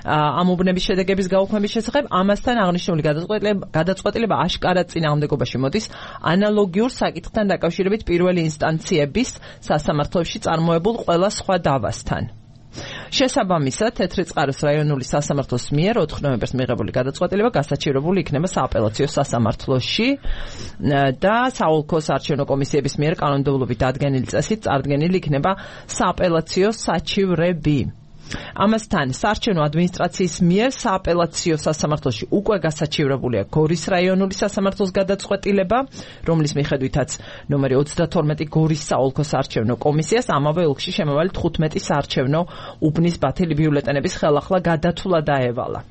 ამ უბნების შედეგების გაუქმების შესახებ. ამასთან აღნიშნული გადაწყვეტილება აშკარად წინააღმდეგობაში მოდის ანალოგიურ საკითხთან დაკავშირებით პირველი ინსტანციების სასამართლოში წარმოებულ ყველა სხვა დავასთან. შესაბამისად, თეთრი წყაროს რაიონული სასამართლოს მიერ 4 ნოემბერს მიღებული გადაწყვეტილება გასაჩივრებული იქნება სააპელაციო სასამართლოში და საოლქო საარჩევნო კომისიების მიერ კანონმდებლობით ადგენილი წესით წარდგენილი იქნება სააპელაციო საჩივრები. ამასთან საარჩევნო ადმინისტრაციის მიერ სააპელაციო სასამართლოში უკვე გასაჩივრებულია გორის რაიონული სასამართლოს გადაწყვეტილება, რომლის მიხედვითაც ნომერი 32 გორის საოლქო საარჩევნო კომისიას ამავე ოლქში შემავალი 15 საარჩევნო უბნის ბათილი ბიულეტენების ხელახლა გადათვლა დაევალა.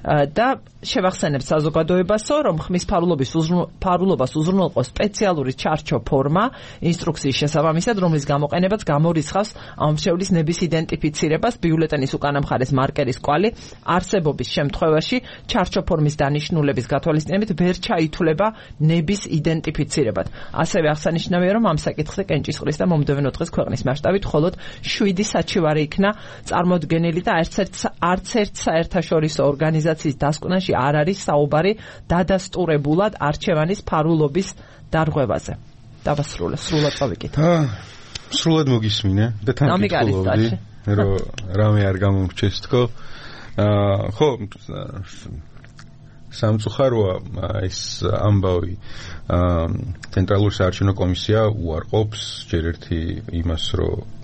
და შევახსენებთ საზოგადოებასო, რომ ხმისფარულობას უზრუნველყოს სპეციალური ჩარჩო ფორმა ინსტრუქციის შესაბამისად, რომლის გამოყენებაც გამორიცხავს ამომრჩევლის ნების იდენტიფიცირებას, ბიულეტენის უკანა მხარეს მარკერის კვალი არსებობის შემთხვევაში ჩარჩო ფორმის დანიშნულების გათვალისწინებით ვერ ჩაითვლება ნების იდენტიფიცირებად. ასევე აღსანიშნავია, რომ ამ საკითხზე კენჭისყრის და მომდევნო დღეს ქვეყნის მასშტაბით მხოლოდ 7 საჩივარი იქნა წარმოდგენილი და არც ერთ საერთაშორისო ორგანიზაციის დასკვნაში არ არის საუბარი დადასტურებულად არჩევანის ფარულობის დარღვევაზე. დავასრულე, სრულად წავიკითხე. სრულად მოგისმინე და თან გითხოვდი, რომ რამე არ გამომრჩეს თქო. ხო, სამწუხაროა ეს ამბავი. ცენტრალური საარჩევნო კომისია უარყოფს ჯერ ერთი იმას, რომ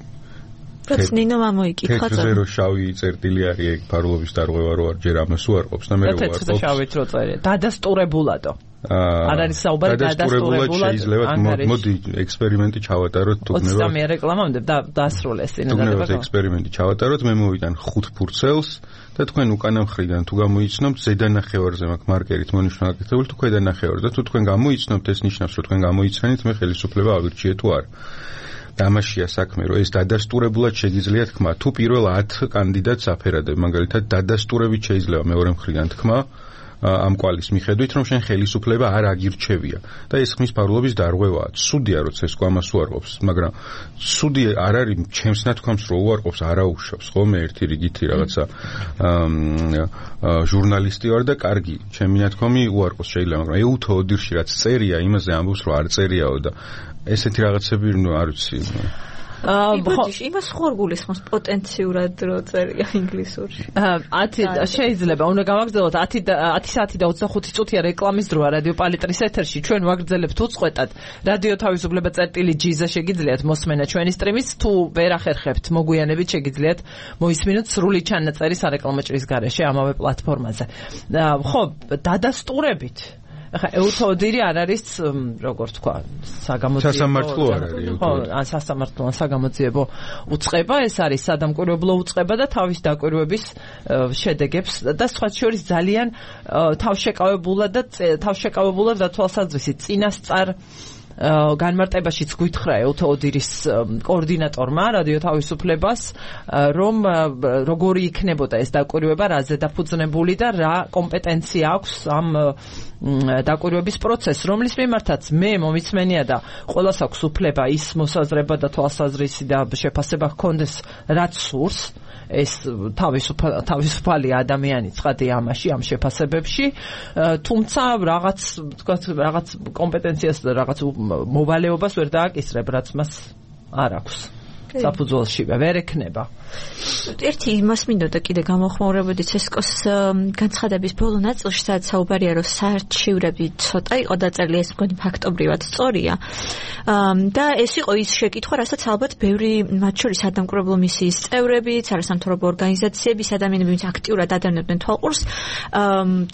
ნინო მამოიკითხა თეთრზე რო შავი წერტილი არის ეგ ფარულობის დარღვევა რო არ ჯერ ამას უარყოფს და მე უარყოფს. თეთრზე შავით რო წერია. დადასტურებულადო. არ არის საუბარი დადასტურებულად შეიძლება მოდი ექსპერიმენტი ჩავატაროთ თუ გნებავთ 20 რეკლამამდე დასრულეს წინადადება ექსპერიმენტი ჩავატაროთ მე მოვიტან 5 ფურცელს და თქვენ უკანა მხრიდან თუ გამოიცნობთ ზედა ნახევარზე მაქვს მარკერით მონიშნული თუ ქვედა ნახევარზე და თუ თქვენ გამოიცნობთ ეს ნიშნავს რომ თქვენ გამოიცანით მე ხელისუფლება ავირჩიე თუ არა და ამაშია საქმე რომ ეს დადასტურებულად შეგიძლია თქმა თუ პირველ 10 კანდიდატს აფერადებ მაგალითად დადასტურებით შეიძლება მეორე მხრიდან თქმა ამ კვალის მიხედვით რომ შენ ხელისუფლება არ აგირჩევია და ეს ხმის ფარულობის დარღვევაა. სუდია როცა ეს ამას უარყოფს, მაგრამ სუდი არ არის ჩემს ნათქვამს რო უარყოფს, არაუშავს, ხო მე ერთი რიგითი რაღაცა ჟურნალისტი ვარ და კარგი, ჩემი ნათქვამი უარყოფს შეიძლება, მაგრამ ეუთო ოდირში რაც წერია, იმაზე ამბობს რომ არ წერიაო და ესეთი რაღაცები არ ვიცი. იმას ხორგულის ხმას პოტენციურად რო წერია ინგლისურში. 10 შეიძლება უნდა გავაგრძელოთ 10 საათი და 25 წუთია რეკლამის დროა რადიო პალიტრის ეთერში. ჩვენ ვაგრძელებთ უწყვეტად რადიო თავისუფლება წერტილი.gz-ზე შეგიძლიათ მოსმენა ჩვენი სტრიმის თუ ვერ ახერხებთ მოგვიანებით შეგიძლიათ მოისმინოთ სრული ჩანაწერი სარეკლამო ჭრის გარეშე ამავე პლატფორმაზე. ხო, დადასტურებით ახლა ეუთოდირი არ არის როგორ თქვა საგამოძიებო სასამართლო არ არის ხო სასამართლო საგამოძიებო უწყება ეს არის სადამკვირვებლო უწყება და თავის დაკვირვების შედეგებს და სხვა შორის ძალიან თავშეკავებულად და თვალსაზრისით წინასწარ განმარტებაშიც გვითხრა ეუთოდირის კოორდინატორმა რადიო თავისუფლებას რომ როგორი იქნებოდა ეს დაკვირვება რაზე დაფუძნებული და რა კომპეტენცია აქვს ამ დაკვირვების პროცესს რომლის მიმართაც მე მომიწმენია და ყველას აქვს უფლება ის მოსაზრება და თვალსაზრისი და შეფასება ჰქონდეს რაც სურს ეს თავისუფალი ადამიანი ცხადია ამაში ამ შეფასებებში თუმცა რაღაც კომპეტენციას და რაღაც მოვალეობას ვერ დააკისრებ რაც მას არ აქვს საფუძველში ვერ ექნება ერთი იმას მინდოდა კიდე გამოხმაურებოდი ცესკოს განცხადების ბოლო ნაწილში სადაც საუბარია რომ საარჩივრები ცოტა იყო დაწერილი ეს მგონი ფაქტობრივად სწორია და ეს იყო ის შეკითხვა რასაც ალბათ ბევრი მათ შორის სადამკვირვებლო მისიის წევრებიც არასამთავრობო ორგანიზაციების ადამიანები ვინც აქტიურად ადევნებდნენ თვალყურს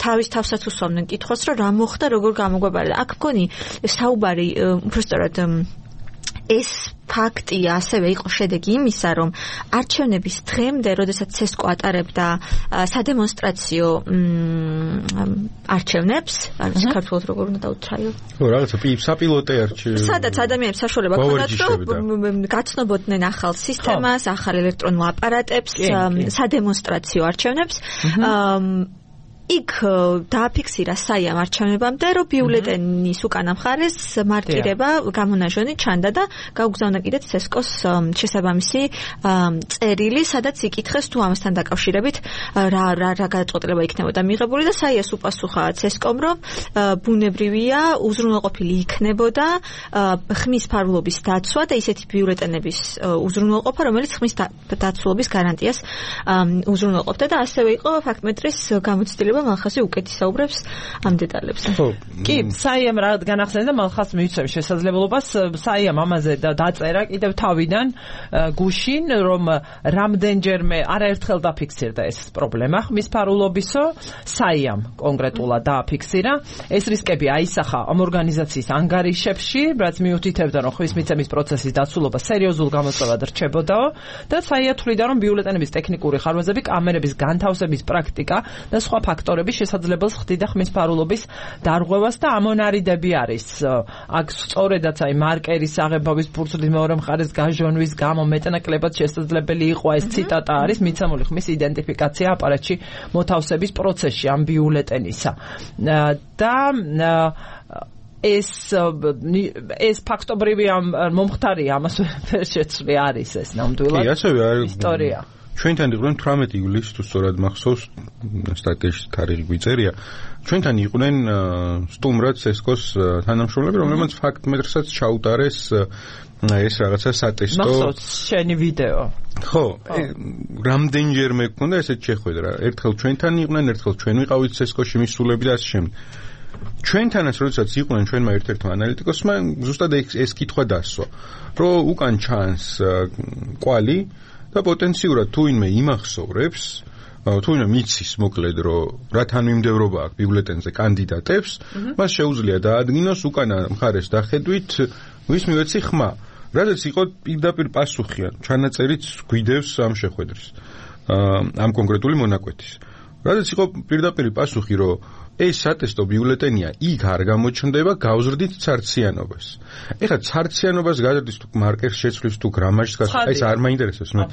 თავის თავსაც უსვამდნენ კითხვას რომ რა მოხდა როგორ გამოგვაბარა და აქ მგონი საუბარი უბრალოდ ეს ფაქტია ასევე იყო შედეგი იმისა რომ არჩევნების დღემდე როდესაც ცესკო ატარებდა სადემონსტრაციო არჩევნებს არის საქართველოს როგორ უნდა დაუთრაიო ხო რაღაცა საპილოტე არჩევნები სადაც ადამიანებს საშუალება ჰქონდათ რომ გაცნობოდნენ ახალ სისტემას ახალ ელექტრონულ აპარატებს სადემონსტრაციო არჩევნებს იქ დააფიქსირა საიამ არჩევნებამდე, რომ ბიულეტენის უკანა მხარეს მარკირება გამონაჟონი ჩანდა და გაუგზავნა კიდე ცესკოს შესაბამისი წერილი, სადაც იკითხეს თუ ამასთან დაკავშირებით რა გადაწყვეტილება იქნებოდა მიღებული და საიას უპასუხა ცესკომ, რომ ბუნებრივია უზრუნველყოფილი იქნებოდა ხმის ფარულობის დაცვა და ისეთი ბიულეტენების უზრუნველყოფა, რომელიც ხმის დაცულობის გარანტიას უზრუნველყოფდა და ასევე იყო ფაქტმეტრის გამოცდილება მალხასი უკეთი საუბრებს ამ დეტალებზე. ხო. კი, საიამ რა განახსენე და მალხას მივცემ შესაძლებლობას საიამ ამაზე დაწერა კიდევ თავიდან გუშინ რომ რამდენჯერმე არაერთხელ დაფიქსირდა ეს პრობლემა ხმის ფარულობისო საიამ კონკრეტულად დააფიქსირა ეს რისკები აისახა ამ ორგანიზაციის ანგარიშებში რაც მიუთითებდა რომ ხმის მიცემის პროცესის დაცულობა სერიოზულ გამოწვევად რჩებოდაო და საია თვლიდა რომ ბიულეტენების ტექნიკური ხარვეზები კამერების განთავსების პრაქტიკა და სხვა ფაქტორები შესაძლებელს ხდიდა ხმის ფარულობის დარღვევას და ამონარიდები არის აქ სწორედაც აი მარკერის აღებავის ფურცლის მეორე მხარეს გაჟონვის გამო მეტნაკლებად შესაძლებელი იყო ეს ციტატა არის მიცემული ხმის იდენტიფიკაცია აპარატში მოთავსების პროცესში ამ ბიულეტენისა და ეს ფაქტობრივი მომხდარია ამას ვერ შეცვლი არის ეს ნამდვილად ისტორია ჩვენთან იყვნენ 18 ივლისს თუ სწორად მახსოვს სტატიაში თარიღი გვიწერია ჩვენთან იყვნენ სტუმრად ცესკოს თანამშრომლები რომლებმაც ფაქტმეტრსაც ჩაუტარეს ეს რაღაცა სატესტო მახსოვს შენი ვიდეო ხო რამდენჯერმე გქონდა ესეთ შეხვედრა ერთხელ ჩვენთან იყვნენ ერთხელ ჩვენ ვიყავით ცესკოში მისულები და ასე შემდეგ ჩვენთანაც როდესაც იყვნენ ჩვენმა ერთ-ერთმა ანალიტიკოსმა ზუსტად ეს კითხვა დასვა რომ უკან ჩანს კვალი და პოტენციურად თუ ვინმე იმახსოვრებს თუნდაც მიცის მოკლედ რომ რა თანმიმდევრობა აქვს ბიულეტენზე კანდიდატებს, მას შეუძლია დაადგინოს უკანა მხარეს დახედვით ვის მივეცი ხმა. რადგან იყო პირდაპირ პასუხი, ჩანაწერიც გვიდევს ამ შეხვედრის. ამ კონკრეტული მონაკვეთის. რადგან იყო პირდაპირ პასუხი, რომ ეს სატესტო ბიულეტენია იქ არ გამოჩნდება, გავზრდით ცარციანობას. ეხლა ცარციანობას გადადის თუ მარკერს შეცვლის თუ გრამაჟს გასვლა, ეს არ მაინტერესებს მე.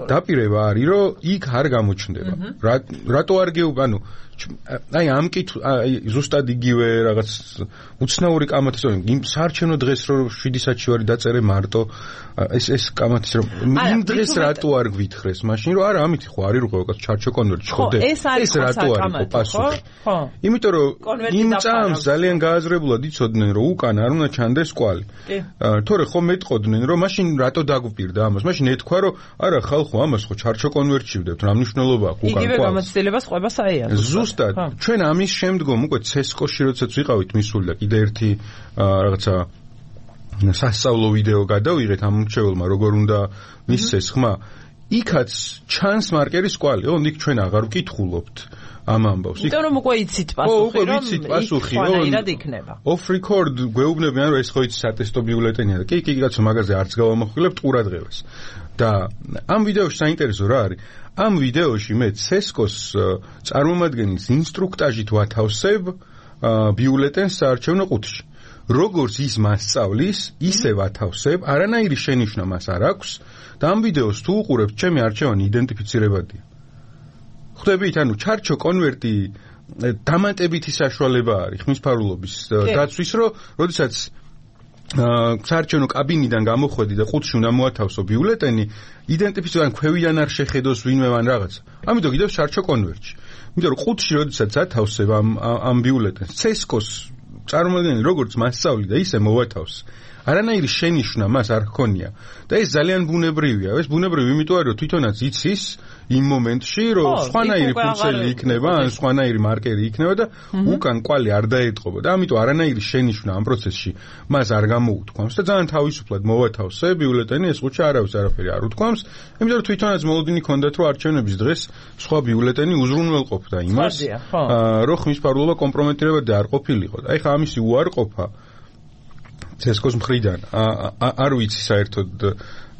დაპირება არის, რომ იქ არ გამოჩნდება. რატო არ ანუ აი ამ ზუსტად იგივე რაღაც უცნაური კამათის იმ საარჩევნო დღეს რომ 7 საათში ვარ დაწერე მარტო ეს კამათის რომ იმ დღეს რატო არ გვითხრეს მაშინ რომ არა ამით ხო არის რო რაღაც ჩარჩო კონვერტი ხოდე ეს რატო არის პასუხი ხო იმიტომ რომ იმ წამს ძალიან გააზრებულად იცოდნენ რომ უკან არ უნდა ჩანდეს კვალი თორე ხო მეტყოდნენ რომ მაშინ რატო დაგვპირდა ამას მაშინ ეთქვა რომ არა ხალხო ამას ხო ჩარჩო კონვერტში ვდებთ რა მნიშვნელობა აქვს უკან იგივე გამოცდილებას ყვება საერთოდ ზუსტად ჩვენ ამის შემდგომ უკვე ცესკოში როდესაც ვიყავით მისული და კიდე ერთი რაღაცა სასწავლო ვიდეო გადავიღეთ ამ მრჩეველმა როგორ უნდა მისცეს ხმა იქაც ჩანს მარკერის კვალი იქ ჩვენ აღარ ვკითხულობთ ამ ამბავს იმიტომ რომ უკვე იცით პასუხი რომ იქ იქნება off record გვეუბნებიან რომ ეს ხო იცი სატესტო ბიულეტენია და კი კაცო მაგაზე არც გავამახვილებთ ყურადღებას და ამ ვიდეოში საინტერესო რა არის ამ ვიდეოში მე ცესკოს წარმომადგენლის ინსტრუქტაჟით ვათავსებ ბიულეტენს საარჩევნო ყუთში. როგორც ის მასწავლის, ისე ვათავსებ, არანაირი შენიშვნა მას არ აქვს და ამ ვიდეოს თუ უყურებთ, ჩემი არჩევანი იდენტიფიცირებადია. ხვდებით, ანუ ჩარჩო კონვერტი დამატებითი საშუალება არის ხმისფარულობის დაცვის, რომ როდესაც საარჩევნო კაბინიდან გამოხვედი და ყუთში უნდა მოათავსო ბიულეტენი, იდენტიფიცირებან ქვევიდან არ შეხედოს ვინმე ან რაღაცა. ამიტომ კიდევ საარჩევნო კონვერტში. იმიტომ რომ ყუთში როდესაც ათავსებ ამ ბიულეტენს, ცესკოს წარმომადგენელი როგორც მასწავლი და ისე მოვათავს. არანაირი შენიშვნა მას არ ჰქონია და ეს ძალიან ბუნებრივია. ეს ბუნებრივი იმიტომ არის რომ თვითონაც იცის იმ მომენტში რომ სხვანაირი ფუნქციები იქნება, ან სხვანაირი მარკერი იქნება და უკან კვალი არ დაეტყობა და ამიტომ არანაირი შენიშვნა ამ პროცესში მას არ გამოუთქვამს და ძალიან თავისუფლად მოვათავსე ბიულეტენი ეს ყუთში არავის არაფერი არ უთქვამს, იმიტომ რომ თვითონაც მოლოდინი ჰქონდათ რომ არჩევნების დღეს სხვა ბიულეტენი უზრუნველყოფდა იმას, რომ ხმისფარულობა კომპრომეტირებადი არ ყოფილიყო. აი ხა ამისი უარყოფა ცესკოს მხრიდან არ ვიცი საერთოდ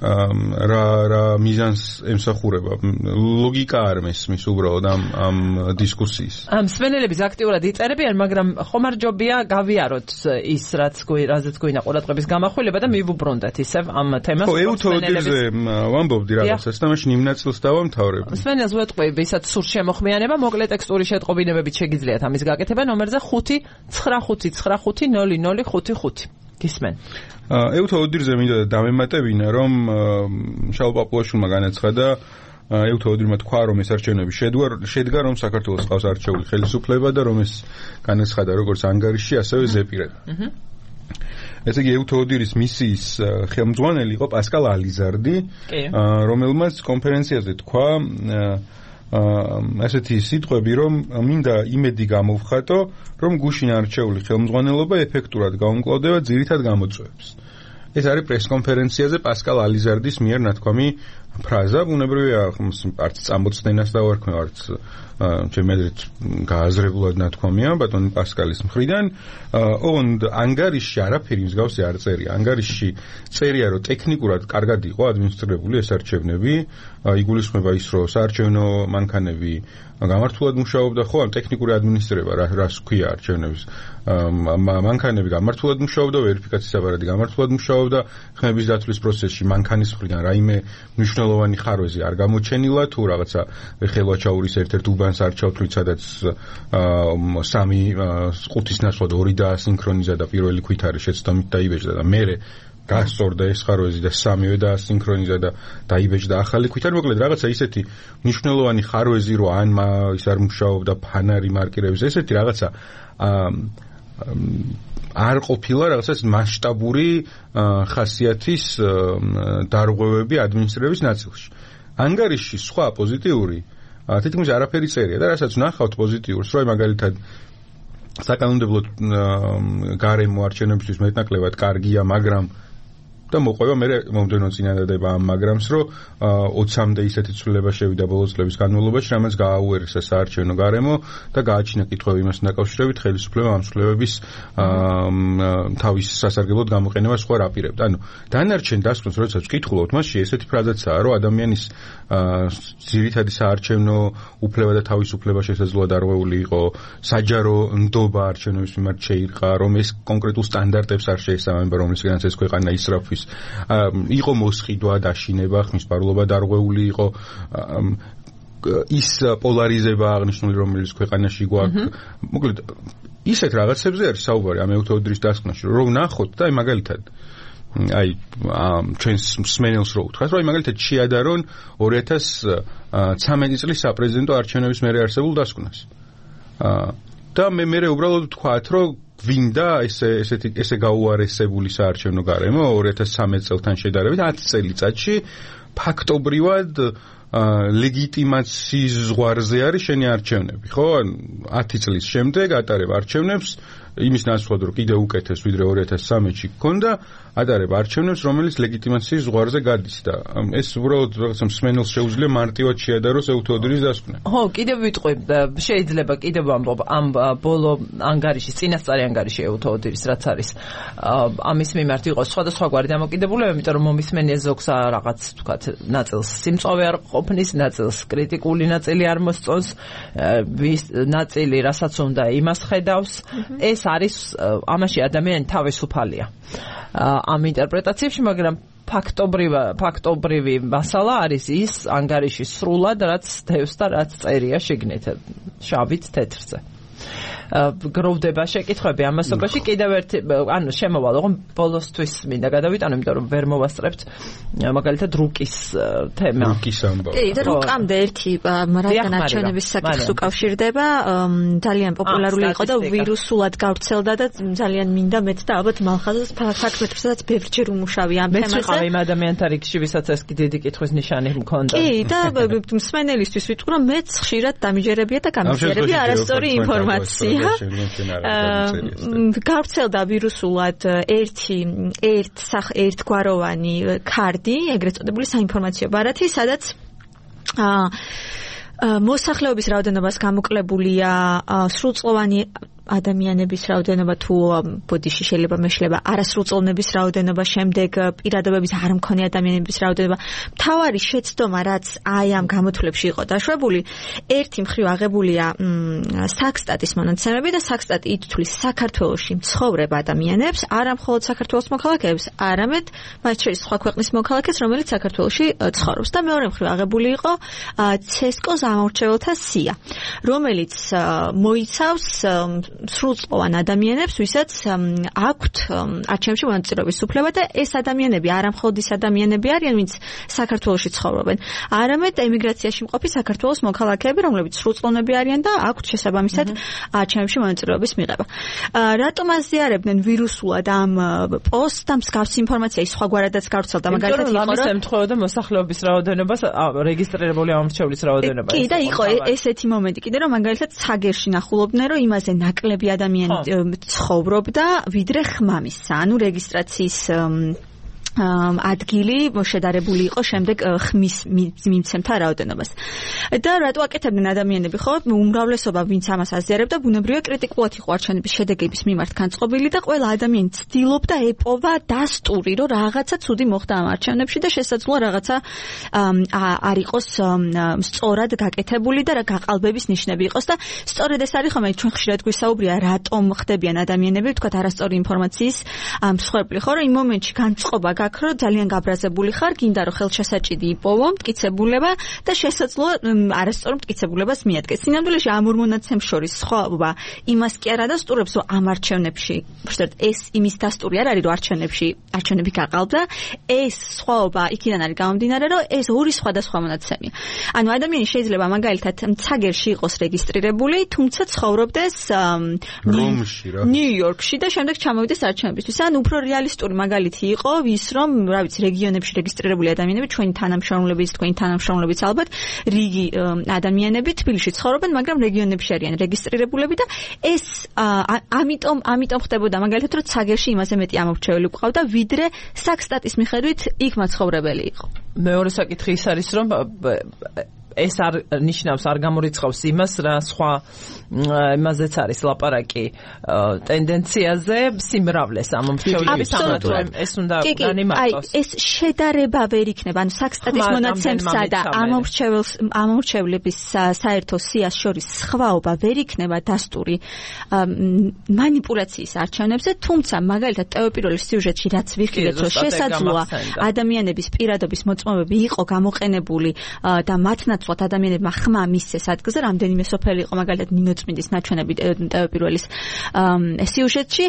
რა მიზანს ემსახურება ლოგიკა არ მესმის უბრალოდ ამ დისკუსიის მსმენელების აქტიურად იწერებიან მაგრამ ხომარჯობია გავიაროთ ის რაზეც გვინდა ყურადღების გამახვილება და მივუბრუნდეთ ისევ ამ თემას ხო ევთოდირზე ვამბობდი რაღაცას და მაშინ იმ ნაწილს დავამთავრებ მსმენელს ვეტყვი ვისაც სურს შემოხმიანება მოკლე ტექსტური შეტყობინებებით შეგიძლიათ ამის გაკეთება ნომერზე 595500555 გისმენ. ევთოდირზე მინდა დამემატებინა, რომ შალ პაპუაშვილმა განაცხადა, ევთოდირმა თქვა, რომ ეს არჩევნები შედგა, რომ საქართველოს ყავს არჩეული ხელისუფლება და რომ ეს განაცხადა როგორც ანგარიშში, ასევე ზეპირად. ესე იგი ევთოდირის მისიის ხელმძღვანელი იყო პასკალ ალიზარდი, რომელმაც კონფერენციაზე თქვა ასეთი სიტყვები, რომ მინდა იმედი გამოვხატო, რომ გუშინ არჩეული ხელმძღვანელობა ეფექტურად გაუმკლავდება ძირითად გამოწვევებს. ეს არის პრესკონფერენციაზე პასკალ ალიზარდის მიერ ნათქვამი ფრაზა, ბუნებრივია, არც წამოწდენას დავარქმევ, არც ჩემი აზრით გააზრებულად ნათქვამია ბატონი პასკალის მხრიდან. ოღონდ ანგარიშში არაფერი მსგავსი არ წერია. ანგარიშში წერია, რომ ტექნიკურად კარგად იყო ადმინისტრირებული ეს არჩევნები, იგულისხმება ის, რომ საარჩევნო მანქანები გამართულად მუშაობდა, ხო, ტექნიკური ადმინისტრირება, რას ქვია არჩევნების მანქანები გამართულად მუშაობდა, ვერიფიკაციის აპარატი გამართულად მუშაობდა, ხმების დათვლის პროცესში მანქანის მხრიდან რაიმე მნიშვნელოვანი ხარვეზი არ გამოჩენილა, თუ რაღაცა ხელვაჩაურის ერთ-ერთ უბანს არ ჩავთვლით, სადაც 3 ყუთის ნაცვლად 2 დაასინქრონიზა და პირველი ქვითარი შეცდომით დაიბეჭდა და მერე გასწორდა ეს ხარვეზი და 3-ვე დაასინქრონიზა და დაიბეჭდა ახალი ქვითარი. მოკლედ რაღაცა ისეთი მნიშვნელოვანი ხარვეზი, რომ ან ის არ მუშაობდა ფანარი მარკირების, ესეთი რაღაცა არ ყოფილა რაღაცა მასშტაბური ხასიათის დარღვევები ადმინისტრების ნაწილში. ანგარიშში სხვა პოზიტიური თითქმის არაფერი წერია და რასაც ნახავთ პოზიტიურს, რომ მაგალითად საკანონმდებლო გარემო არჩევნებისთვის მეტნაკლებად კარგია, მაგრამ და მოყვება მე მომდენო წინადადება ამ მაგრამს, რომ 20-მდე ისეთი ცვლილება შევიდა ბოლო წლების განმავლობაში, რამაც გააუერესა საარჩევნო გარემო და გააჩინა კითხვები იმასთან დაკავშირებით, ხელისუფლება ამ ცვლილებების თავის სასარგებლოდ გამოყენებას სხვა რაპირებდა. ანუ დანარჩენ დასკვნას როდესაც ვკითხულობთ, მასში ესეთი ფრაზაცაა, რომ ადამიანის ძირითადი საარჩევნო უფლება და თავისუფლება შესაძლოა დარღვეული იყო, საჯარო ნდობა არჩევნების მიმართ შეირყა, რომ ეს კონკრეტულ სტანდარტებს არ შეესაბამება, რომლისგანაც ეს ქვეყანა ისრაფვის. იყო მოსყიდვა, დაშინება, ხმისპარულობა დარღვეული იყო, ის პოლარიზება აღნიშნული, რომელიც ქვეყანაში გვაქვს. მოკლედ, ისეთ რაღაცებზე არის საუბარი ამ ეუთოდრის დასკვნაში, რომ ნახოთ და მაგალითად ჩვენს მსმენელს რო უთხრათ, რომ მაგალითად შეადარონ 2013 წლის საპრეზიდენტო არჩევნების მერე არსებულ დასკვნას. და მე უბრალოდ ვთქვათ, რომ გვინდა ესე გაუარესებული საარჩევნო გარემო 2013 წელთან შედარებით 10 წელიწადში ფაქტობრივად ლეგიტიმაციის ზღვარზე არის შენი არჩევნები, ხო? 10 წლის შემდეგ ატარებ არჩევნებს იმის ნაცვლად, რომ კიდე უკეთეს ვიდრე 2013-ში გქონდა, ატარებ არჩევნებს, რომელიც ლეგიტიმაციის ზღვარზე გადის და ეს უბრალოდ რაღაცა მსმენელს შეუძლია მარტივად შეადაროს ეუთოდრის დასკვნა. ხო, კიდევ ვიტყვი, შეიძლება კიდევ ამბობ ამ ბოლო ანგარიშის, წინასწარი ანგარიში ეუთოდრის, რაც არის ამის მიმართ იყოს სხვადასხვაგვარი დამოკიდებულება, იმიტომ რომ მომისმენია ზოგს რაღაც თქვათ ნაწილს სიმწვავე არ ყოფნის, ნაწილს კრიტიკული ნაწილი არ მოსწონს, ნაწილი რასაც უნდა იმას ხედავს. ეს არის ამაში ადამიანი თავისუფალია ამ ინტერპრეტაციებში, მაგრამ ფაქტობრივი მასალა არის ის ანგარიში სრულად, რაც დევს და რაც წერია შიგნით შავით თეთრზე. გროვდება შეკითხვები ამასობაში კიდევ ერთი ანუ შემოვალ რომ ბოლოსთვის მინდა გადავიტანო იმიტომ რომ ვერ მოვასწრებთ მაგალითად რუკის თემა რუკის ამბავი კი და რუკამდე ერთი რადგან არჩევნების საკითხს უკავშირდება ძალიან პოპულარული იყო და ვირუსულად გავრცელდა და ძალიან მინდა მეც და ალბათ მალხაზას ფაქტებსაც ბევრჯერ უმუშავი ამ თემაზე მეც ვიყავი იმ ადამიანთა რიგში ვისაც ეს დიდი კითხვის ნიშანი მქონდა კი და მსმენელისთვის ვიტყვი რომ მეც ხშირად დამიჯერებია და გამიჯერებია არასწორი ინფორმაცია გავრცელდა ვირუსულად ერთგვაროვანი ქარდი, ეგრეთ წოდებული საინფორმაციო ბარათი, სადაც მოსახლეობის რაოდენობას გამოკლებულია სრულწლოვანი ადამიანების რაოდენობა თუ ბოდიში შეიძლება მეშლება არასრულწლოვნების რაოდენობა, შემდეგ პირადობების არ მქონე ადამიანების რაოდენობა. მთავარი შეცდომა, რაც აი ამ გამოთვლებში იყო დაშვებული, ერთი მხრივ აღებულია საქსტატის მონაცემები და საქსტატი ითვლის საქართველოში მცხოვრებ ადამიანებს, არა მხოლოდ საქართველოს მოქალაქეებს, არამედ მათ შორის სხვა ქვეყნის მოქალაქეს, რომელიც საქართველოში ცხოვრობს. და მეორე მხრივ აღებული იყო CESCO-ს ამორჩეველთა სია, რომელიც მოიცავს სრულწლოვან ადამიანებს, ვისაც აქვთ არჩევნებში მონაწილეობის უფლება და ეს ადამიანები არა მხოლოდ ის ადამიანები არიან, ვინც საქართველოში ცხოვრობენ, არამედ ემიგრაციაში მყოფი საქართველოს მოქალაქეები, რომლებიც სრულწლოვნები არიან და აქვთ შესაბამისად არჩევნებში მონაწილეობის მიღება. რატომ აზიარებდნენ ვირუსულად ამ პოსტს და მსგავსი ინფორმაცია ის სხვაგვარადაც გავრცელდა, მაგალითად იყო რომ ემთხვეოდა მოსახლეობის რაოდენობას, რეგისტრირებული ამორჩევლის რაოდენობას. კი და იყო ესეთი მომენტი კიდე რომ მაგალითად ცაგერში ნახულობდნენ რომ იმაზე ნაკლები ადამიანი ცხოვრობდა ვიდრე ხმამისსა, ანუ რეგისტრაციის ადგილი შედარებული იყო შემდეგ ხმის მიმცემთა რაოდენობას. და რატო აკეთებდნენ ადამიანები, ხო? უმრავლესობა ვინც ამას აზიარებდა, ბუნებრივია კრიტიკულად იყო არჩევნების შედეგების მიმართ განწყობილი და ყველა ადამიანი ცდილობდა ეპოვა დასტური, რომ რაღაცა ცუდი მოხდა ამ არჩევნებში და შესაძლოა რაღაცა არ იყოს სწორად გაკეთებული და გაყალბების ნიშნები იყოს და სწორედ ეს არის ხომ ჩვენ ხშირად გვისაუბრია რატომ ხდებიან ადამიანები, თქვათ არასწორი ინფორმაციის მსხვერპლი, ხო? რომ იმ მომენტში განწყობა რომ ძალიან გაბრაზებული ხარ, გინდა რომ ხელშესაჭიდი იპოვო, მტკიცებულება და შესაძლოა არასწორ მტკიცებულებას მიადგეს. სინამდვილეში ამ ორ მონაცემს შორის სხვაობა იმას კი არ ადასტურებს, რომ ამ არჩევნებში, უბრალოდ ეს იმის დასტური არ არის, რომ არჩევნები გაყალბდა, ეს სხვაობა იქიდან არის გამომდინარე, რომ ეს ორი სხვადასხვა მონაცემია. ანუ ადამიანი შეიძლება მაგალითად ცაგერში იყოს რეგისტრირებული, თუმცა ცხოვრობდეს ნიუ-იორკში და შემდეგ ჩამოვიდეს არჩევნებისთვის. ან უფრო რეალისტური მაგალითი იყო ის, რომ რა ვიცი რეგიონებში რეგისტრირებული ადამიანები ჩვენი თანამშრომლებიც ალბათ რიგი ადამიანები თბილისში ცხოვრობენ, მაგრამ რეგიონებში არიან რეგისტრირებულები და ეს ამიტომ ხდებოდა მაგალითად რომ ცაგერში იმაზე მეტი ამორჩეველი გვყავდა ვიდრე საქსტატის მიხედვით იქ მაცხოვრებელი იყო. მეორე საკითხი ის არის რომ ეს არ ნიშნავს არ გამორიცხავს იმას რა სხვა იმაზეც არის ლაპარაკი ტენდენციაზე სიმრავლეს ამომრჩევლების ამათვე ეს უნდა განიმარტოს. ეს შედარება ვერ იქნება, ანუ საქსტატის მონაცემსა და ამომრჩევლების საერთო სიას შორის სხვაობა ვერ იქნება დასტური მანიპულაციის არჩევნებზე, თუმცა მაგალითად ტევპიროლის სიუჟეტში რაც ვიხილეთ, რომ შესაძლოა ადამიანების პირადობის მოწმობები იყო გამოყენებული და მათ ნაცვლად ადამიანებმა ხმა მისცეს ადგილზე, რამდენიმე სოფელი იყო მაგალითად ნინოწმინდის ნაჩვენები ტევპიროლის სიუჟეტში.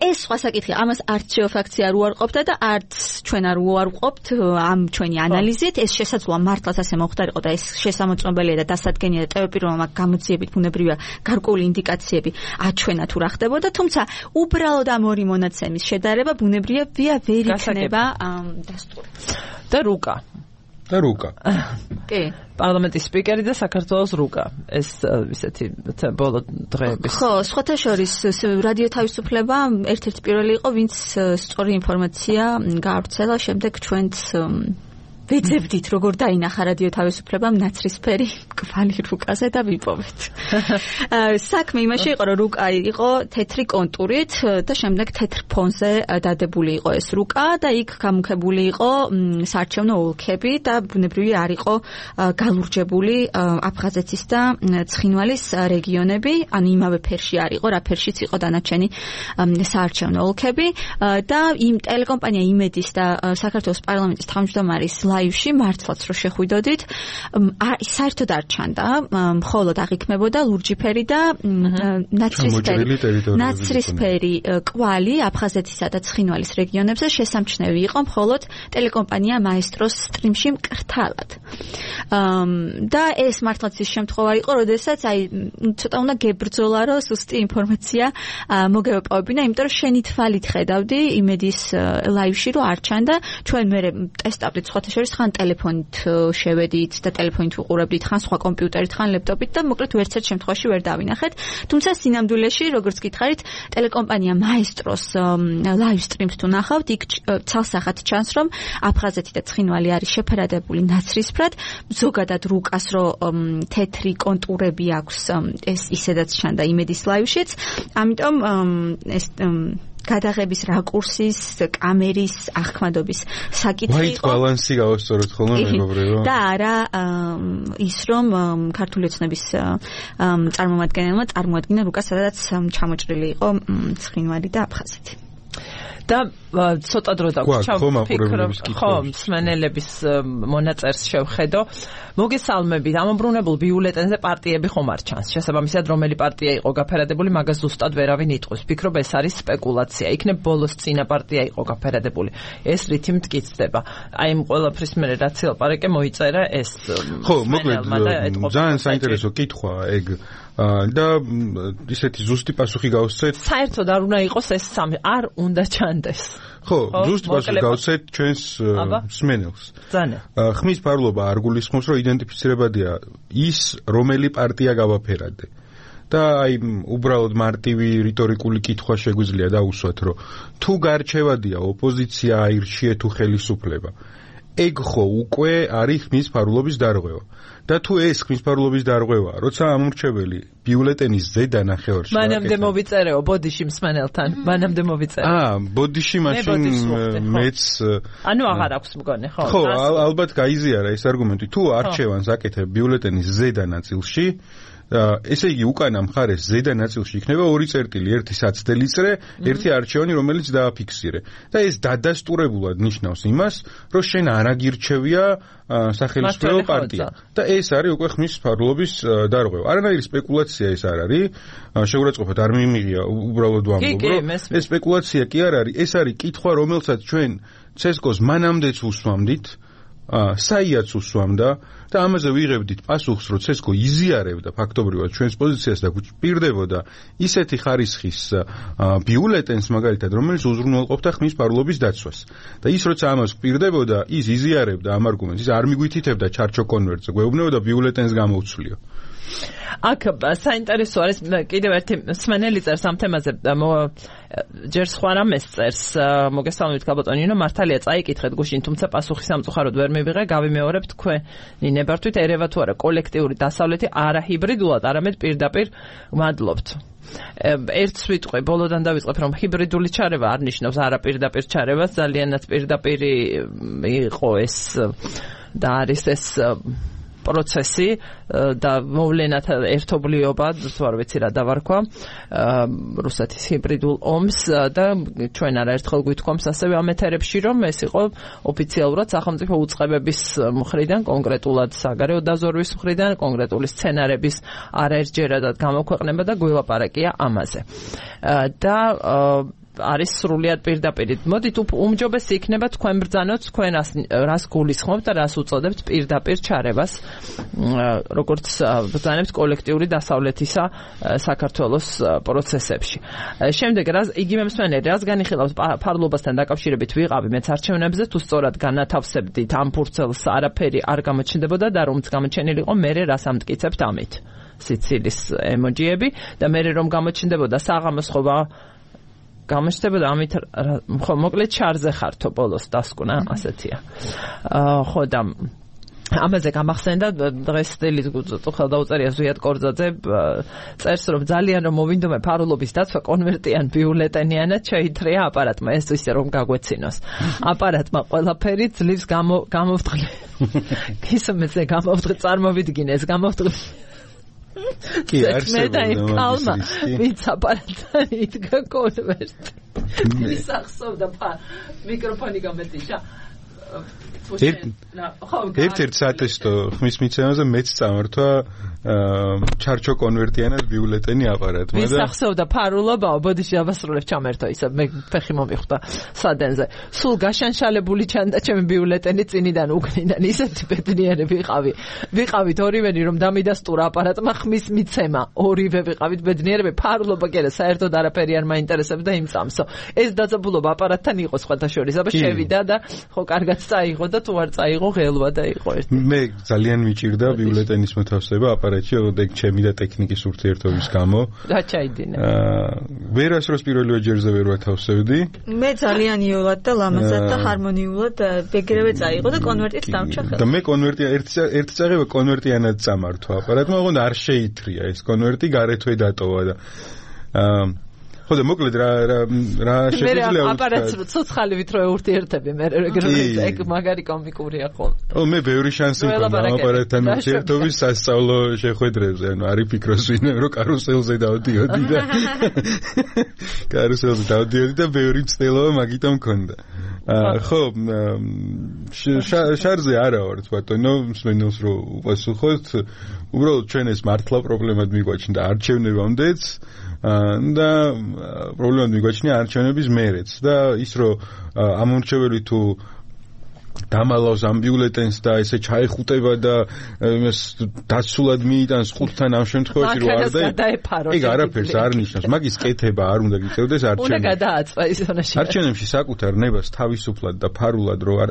ეს სხვა საკითხია, ამას არც შეოფაქცია არ უარყოფდა და არც ჩვენ არ უარყოფთ ამ ჩვენი ანალიზით. ეს შესაძლოა მართლაც ასე მოხდარიყო და ეს შესამოწმებელია და დასადგენია და ტევპიროლმა გამოძიებით ბუნებრივია გარკვეული ინდიკაციები აჩვენა თუ რა ხდებოდა, თუმცა უბრალოდ ამ ორი მონაცემის შედარება ბუნებრივია ვერ იქნება დასტური. და რუკა. კი. პარლამენტის სპიკერი და საქართველოს რუკა. ეს ისეთი ბოლო დღეების. ხო, სხვათა შორის რადიო თავისუფლება ერთ-ერთი პირველი იყო, ვინც სწორი ინფორმაცია გაავრცელა, შემდეგ ჩვენც ვეძებდით როგორ დაინახა რადიო თავისუფლებამ ნაცრისფერი კვალი რუკაზე და ვიპოვეთ. საქმე იმაში იყო, რომ რუკა იყო თეთრი კონტურით და შემდეგ თეთრ ფონზე დადებული იყო ეს რუკა და იქ გამუქებული იყო საარჩევნო ოლქები და ბუნებრივი არ იყო გალურჯებული აფხაზეთის და ცხინვალის რეგიონები, ანუ იმავე ფერში არ იყო, რა ფერშიც იყო დანარჩენი საარჩევნო ოლქები და იმ ტელეკომპანია იმედის და საქართველოს პარლამენტის თავმჯდომარის ლაივში მართლაც რო შეხვიდოდით, საერთოდ არ ჩანდა, მხოლოდ აღიქმებოდა ლურჯიფერი და ნაცრისფერი კვალი აფხაზეთისა და ცხინვალის რეგიონებზე შესამჩნევი იყო მხოლოდ ტელეკომპანია მაესტროს სტრიმში მკრთალად. და ეს მართლაც ის შემთხვევა იყო, როდესაც ცოტა უნდა გებრძოლა, რომ სუსტი ინფორმაცია მოგევეპოვებინა, იმიტომ რომ შენი თვალით ხედავდი იმედის ლაივში, რომ არ ჩანდა, ჩვენ მე ტესტავდით სხვათა შორის ხან ტელეფონით შევედით და ტელეფონით უყურებდით, ხან სხვა კომპიუტერით, ხან ლეპტოპით და მოკლედ ვერცერთ შემთხვევაში ვერ დავინახეთ. თუმცა სინამდვილეში, როგორც გითხარით, ტელეკომპანია მაესტროს ლაივ სტრიმს თუ ნახავთ, იქ ცალსახად ჩანს, რომ აფხაზეთი და ცხინვალი არის შეფერადებული ნაცრისფრად, ზოგადად რუკას რომ თეთრი კონტურები აქვს, ეს ისედაც ჩანდა იმედის ლაივშიც. ამიტომ ეს გადაღების რაკურსის, კამერის, აღქმადობის საკითხი იყო. White balance-ი გავასწოროთ ხოლმე მეგობრებო. და არა ის რომ ქართული ოცნების წარმომადგენელმა წარმოადგინა რუკა, სადაც ჩამოჭრილი იყო ცხინვალი და აფხაზეთი. და ცოტა დრო დავჩავ ხო მსმენელების მონაწერს შევხედო. მოგესალმებით, ამობრუნებულ ბიულეტენზე პარტიები ხომ არ ჩანს. შესაბამისად, რომელი პარტია იყო გაფერადებული, მაგას ზუსტად ვერავინ იტყვის. ფიქრობ ეს არის სპეკულაცია. იქნებ ბოლოს წინა პარტია იყო გაფერადებული. ეს რითი მტკიცდება. აი იმ ყველაფრის მერე რაც ლაპარაკე მოიწერა ეს. ხო, მოკლედ ძალიან საინტერესო კითხვა ეგ. და ისეთი ზუსტი პასუხი გავსცეთ. საერთოდ არ უნდა იყოს ეს სამი, არ უნდა ჩანდეს. ხო, ზუსტი პასუხი გავსცეთ ჩვენს მსმენელს. ძალიან. ხმის ფარულობა არ გულისხმობს, რომ იდენტიფიცირებადია ის, რომელი პარტია გავაფერადე. და აი უბრალოდ მარტივი რიტორიკული კითხვა შეგვიძლია დაუსვათ, რომ თუ გარჩევადია ოპოზიცია აირჩიე თუ ხელისუფლება. ეგ ხო უკვე არის ხმის ფარულობის დარღვევა. და თუ ეს ხმის ფარულობის დარღვევა, როცა ამორჩეველი ბიულეტენის ზედა ნახევარში მანამდე მოვიწერეო ბოდიში მსმენელთან, მანამდე მოვიწერე. ბოდიში მაშინ მეც ანუ აღარ აქვს მგონი, ხო? ხო, ალბათ გაიზიარა ეს არგუმენტი. თუ არჩევანს აკეთებ ბიულეტენის ზედა ნაწილში, ესე იგი უკანა მხარეს ზედა ნაწილში იქნება ორი წერტილი, ერთი საცდელი წრე, ერთი არჩევანი, რომელიც დააფიქსირე. და ეს დადასტურებულად ნიშნავს იმას, რომ შენ არ აგირჩევია სახელმწიფო პარტია. და ეს არის უკვე ხმის ფარულობის დარღვევა. არანაირი სპეკულაცია ეს არ არის. შეურაცხყოფად არ მიმიღია, უბრალოდ ვამბობ, რომ ეს სპეკულაცია კი არ არის, ეს არის კითხვა, რომელსაც ჩვენ ცესკოს მანამდეც უსვამდით. საიაც უსვამდა და ამაზე ვიღებდით პასუხს, რომ ცესკო იზიარებდა ფაქტობრივად ჩვენს პოზიციას და გვჭირდებოდა ისეთი ხარისხის ბიულეტენს მაგალითად, რომელიც უზრუნველყოფდა ხმის ფარულობის დაცვას. და ის როცა ამას გვჭირდებოდა, ის იზიარებდა ამ არგუმენტს, ის არ მიგვითითებდა ჩარჩო კონვერტზე, გვეუბნებოდა ბიულეტენს გამოვცვლიო. აქ საინტერესო არის კიდევ ერთი სმენელი წერს ამ თემაზე ჯერ სხვა რამეს წერს მოგესალმებით გაბატონინო მართალია წაიკითხეთ გუშინ თუმცა პასუხი სამწუხაროდ ვერ მივიღე გავიმეორებ თქვენი ნებართვით ერევა თუ არა კოლექტიური დასავლეთი არა ჰიბრიდულად არამედ პირდაპირ მადლობთ ერთს ვიტყვი ბოლოდან დავიწყებ რომ ჰიბრიდული ჩარევა არ ნიშნავს არა პირდაპირ ჩარევას ძალიანაც პირდაპირი იყო ეს და არის ეს პროცესი და მოვლენათა ერთობლიობა, თუ არ ვიცი რა დავარქვა, რუსეთის ჰიბრიდულ ომს და ჩვენ არაერთხელ გვითქვამს ასევე ამ ეთერებში, რომ ეს იყო ოფიციალურად სახელმწიფო უწყებების მხრიდან, კონკრეტულად საგარეო დაზვერვის მხრიდან, კონკრეტული სცენარების არაერთჯერადად გამოქვეყნება და გველაპარაკია ამაზე. და არის სრულიად პირდაპირ. მოდით უმჯობესი იქნება თქვენ ბრძანოთ, თქვენ რას გულისხმობთ და რას უწოდებთ პირდაპირ ჩარევას, როგორც ბრძანებთ კოლექტიური დასავლეთისა საქართველოს პროცესებში. შემდეგ იგივე მსმენელი რას განიხილავს ფარლობასთან დაკავშირებით ვიყავი მეც არჩევნებზე, თუ სწორად განათავსებდით ამ ფურცელს არაფერი არ გამოჩნდებოდა და რომც გამოჩენილი იყო, მერე რას ამტკიცებთ ამით. სიცილის ემოჯიები და მერე რომ გამოჩნდებოდა საღამოს ხოვა გამოჩნდებოდა ამით ხო მოკლედ ჩარზე ხართო ბოლოს დასკვნა ასეთია. ხო და ამაზე გამახსენდა დღეს სტილის ხელდაუწერია ზვიად კორძაძე წერს რომ ძალიან რომ მოვინდომე ფარულობის დაცვა კონვერტიან ბიულეტენიანად შეითრია აპარატმა ეს ისე რომ გაგვეცინოს. აპარატმა ყველაფერი ძლივს გამოვთხრა. ისომეზე გამოვთხრა წარმოვიდგინე ეს გამოვთხრა კი არსებობდა კალმა ვინც აპარატთან იდგა კონვერტი ის ახსოვდა მიკროფონი გამეთიშა ერთ-ერთ სატესტო ხმის მიცემაზე მეც წამართვა ჩარჩო კონვერტიანად ბიულეტენი აპარატმა და ვის ახსოვდა ფარულობაო ბოდიში დავასრულებ ჩამერთო ისა მე ფეხი მომიხვდა სადენზე სულ გაშანშალებული ჩანდა ჩემი ბიულეტენი წინიდან უკნიდან ისეთი ბედნიერი ვიყავით ორივენი რომ დამიდასტურა აპარატმა ხმის მიცემა ორივე ვიყავით ბედნიერები ფარულობა კიდე საერთოდ არაფერი არ მაინტერესებდა იმ წამსო ეს დაძაბულობა აპარატთან იყო სხვათა შორის აბა შევიდა და ხო კარგად წაიღო და თუ არ წაიღო ღელვა და იყო ერთი მე ძალიან მიჭირდა ბიულეტენის მოთავსება აპარატში ოდეკ ჩემი და ტექნიკის ურთიერთობის გამო და ჩაიდინე ვერასდროს პირველივე ჯერზე ვერ ვათავსებდი მე ძალიან იოლად და ლამაზად და ჰარმონიულად ეგრევე წაიღო და კონვერტით დამჭა ხელს და მე კონვერტი ერთ წაღება კონვერტიანად წამართვა აპარატმა ოღონდ არ შეითრია ეს კონვერტი გარეთვე დატოვა და ხო და მოკლედ რა შეგვიძლია ვთქვა აპარატს ცოცხალივით რო ურთიერთები მე ეგ მაგარი კომიკურია ხოლმე ო მე ბევრი შანსი მქონდა აპარატთან ურთიერთობის სასწავლო შეხვედრებზე ანუ არ იფიქროს ვინმე რომ კარუსელზე დავდიოდი და ბევრი მცდელობა მაგიტომ მქონდა ხო შარზე არა ვარ ბატონო მსმენელს რო უპასუხოთ უბრალოდ ჩვენ ეს მართლა პრობლემად მიგვაჩნდა არჩევნებამდეც და პრობლემა მიგვაჩნია არჩევნების მერეც და ის რომ ამორჩეველი თუ დამალავს ამ ბიულეტენს და ესე ჩაეხუტება და იმას დაცულად მიიტანს ხუთთან ამ შემთხვევაში რო არ და ეგ არაფერს არ ნიშნავს მაგის კეთება არ უნდა გიწევდეს არჩევნებში უნდა გადააწვა ის თონაში არჩევნებში საკუთარ ნებას თავისუფლად და ფარულად რო არ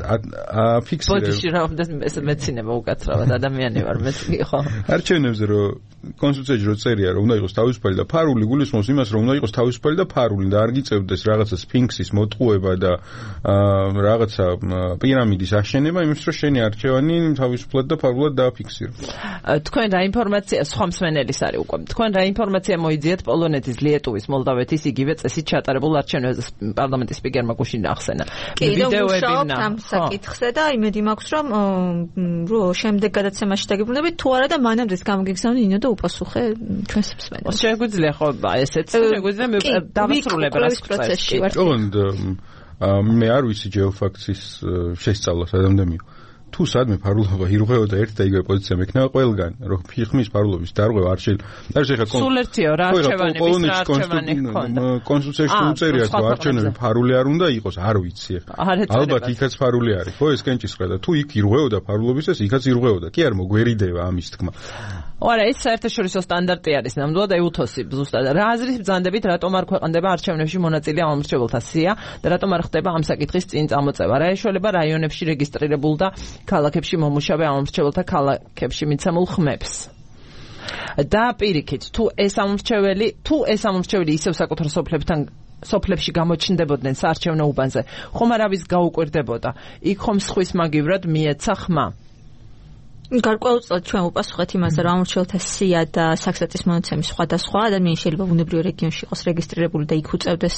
აფიქსირებს ბოდიში რა ეს მეცინება უკაცრავად ადამიანი ვარ მეც ხო არჩევნებზე რო კონსტიტუციაში რო წერია რომ უნდა იყოს თავისუფალი და ფარული გულისხმობს იმას რომ უნდა იყოს თავისუფალი და ფარული და არ გიწევდეს რაღაცა სფინქსის მოტყუება და რაღაცა პირამიდის აშენება იმის რომ შენი არჩევანი თავისუფლად და ფარულად დააფიქსირო. თქვენ რა ინფორმაცია სხვა მსმენელის არის უკვე. თქვენ რა ინფორმაცია მოიძიეთ პოლონეთის, ლიეტუვის, მოლდავეთის იგივე წესით ჩატარებულ არჩევნებზე პარლამენტის სპიკერმა გუშინ ახსენა. ვიდეოები ამ საკითხზე და იმედი მაქვს რომ შემდეგ გადაცემაში დაგიბრუნდებით თუ არა და მანამდეც გამოგიგზავნე ინო და უპასუხე ჩვენს მსმენელს. შეგვიძლია ხო ესეც შეგვიძლია დავასრულებ რას პროცესში ვარ. მე არ ვიცი ჯეოფაქტის შესწავლას ადამიანო თუ სადმე ფარულობა ირღვეოდა ერთ და იგივე პოზიცია მექნება ყველგან, რომ ხმის ფარულობის დარღვევა არ შეიძლება. სულ ერთია რა არჩევანების რა არჩევანი ჰქონდა. კონსტიტუციაში უწერია რომ არჩევნები ფარული არ უნდა იყოს, არ ვიცი ახლა. ალბათ იქაც ფარული არის, ხო ეს კენჭისყრა და თუ იქ ირღვეოდა ფარულობისას, იქაც ირღვეოდა. კი არ მოგვერიდება ამის თქმა. არა, ეს საერთაშორისო სტანდარტი არის ნამდვილად EUTHOS-ი ზუსტად. რა აზრის ბრძანდებით რატომ არ ქვეყნდება არჩევნებში მონაწილე ამომრჩეველთა სია და რატომ არ ხდება ამ საკითხის წინ წამოწევა? რა ეშველება რაიონებში რეგისტრირებულ და ქალაქებში მომუშავე ამომრჩეველთა ქალაქებში მიცემულ ხმებს? და პირიქით, თუ ეს ამომრჩეველი ისევ საკუთარ სოფლებში გამოჩნდებოდნენ საარჩევნო უბანზე, ხომ არავის გაუკვირდებოდა? იქ ხომ სხვის მაგივრად მიეცა ხმა? გარკვეულწილად ჩვენ უპასუხეთ იმაზე, რომ ამორჩეველთა სია და საქსტატის მონაცემი სხვადასხვა ადამიანი შეიძლება ბუნებრივ რეგიონში იყოს რეგისტრირებული და იქ უწევდეს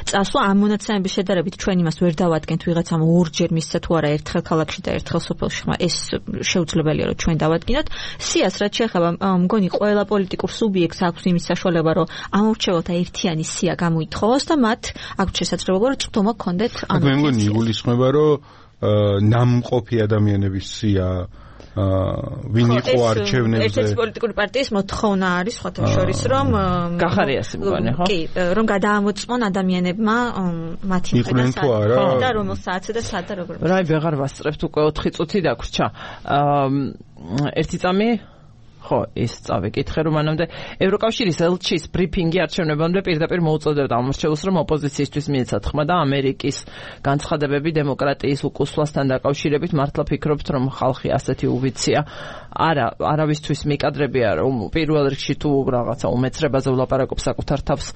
წასვლა. ამ მონაცემების შედარებით ჩვენ იმას ვერ დავადგენთ ვიღაცამ ორჯერ მისცა თუ არა ერთხელ ქალაქში და ერთხელ სოფელში, ეს შეუძლებელია რომ ჩვენ დავადგინოთ. სიას რაც შეეხება, მგონი ყველა პოლიტიკურ სუბიექტს აქვს იმის საშუალება, რომ ამორჩეველთა ერთიანი სია გამოითხოვოს და მათ აქვს შესაძლებლობა რომ წვდომა გქონდეთ ამ. მე მგონი იგულისხმება, რომ ნამყოფი ადამიანების სია ვინ იყო არჩევნებზე. ერთ-ერთი პოლიტიკური პარტიის მოთხოვნა არის სხვათა შორის, რომ გახარიასი მგონი, ხო? კი, რომ გადაამოწმონ ადამიანებმა მათი მხრიდან და რომელ საათზე და სად და როგორ. რაი ვეღარ ვასწრებთ, უკვე 4 წუთი დაგვრჩა. ერთი წამი ხო, ის წავიკითხე, რომ მანამდე ევროკავშირის ელჩის ბრიფინგი არჩევნებამდე პირდაპირ მოუწოდებდა ამორჩეულს, რომ ოპოზიციისთვის მიეცათ ხმა და ამერიკის განცხადებები დემოკრატიის უკუსვლასთან დაკავშირებით მართლა ფიქრობთ, რომ ხალხი ასეთი უვიცია? არავისთვის მიკადრებია, რომ პირველ რიგში თუ რაღაცა უმეცრებაზე ვლაპარაკობ საკუთარ თავს,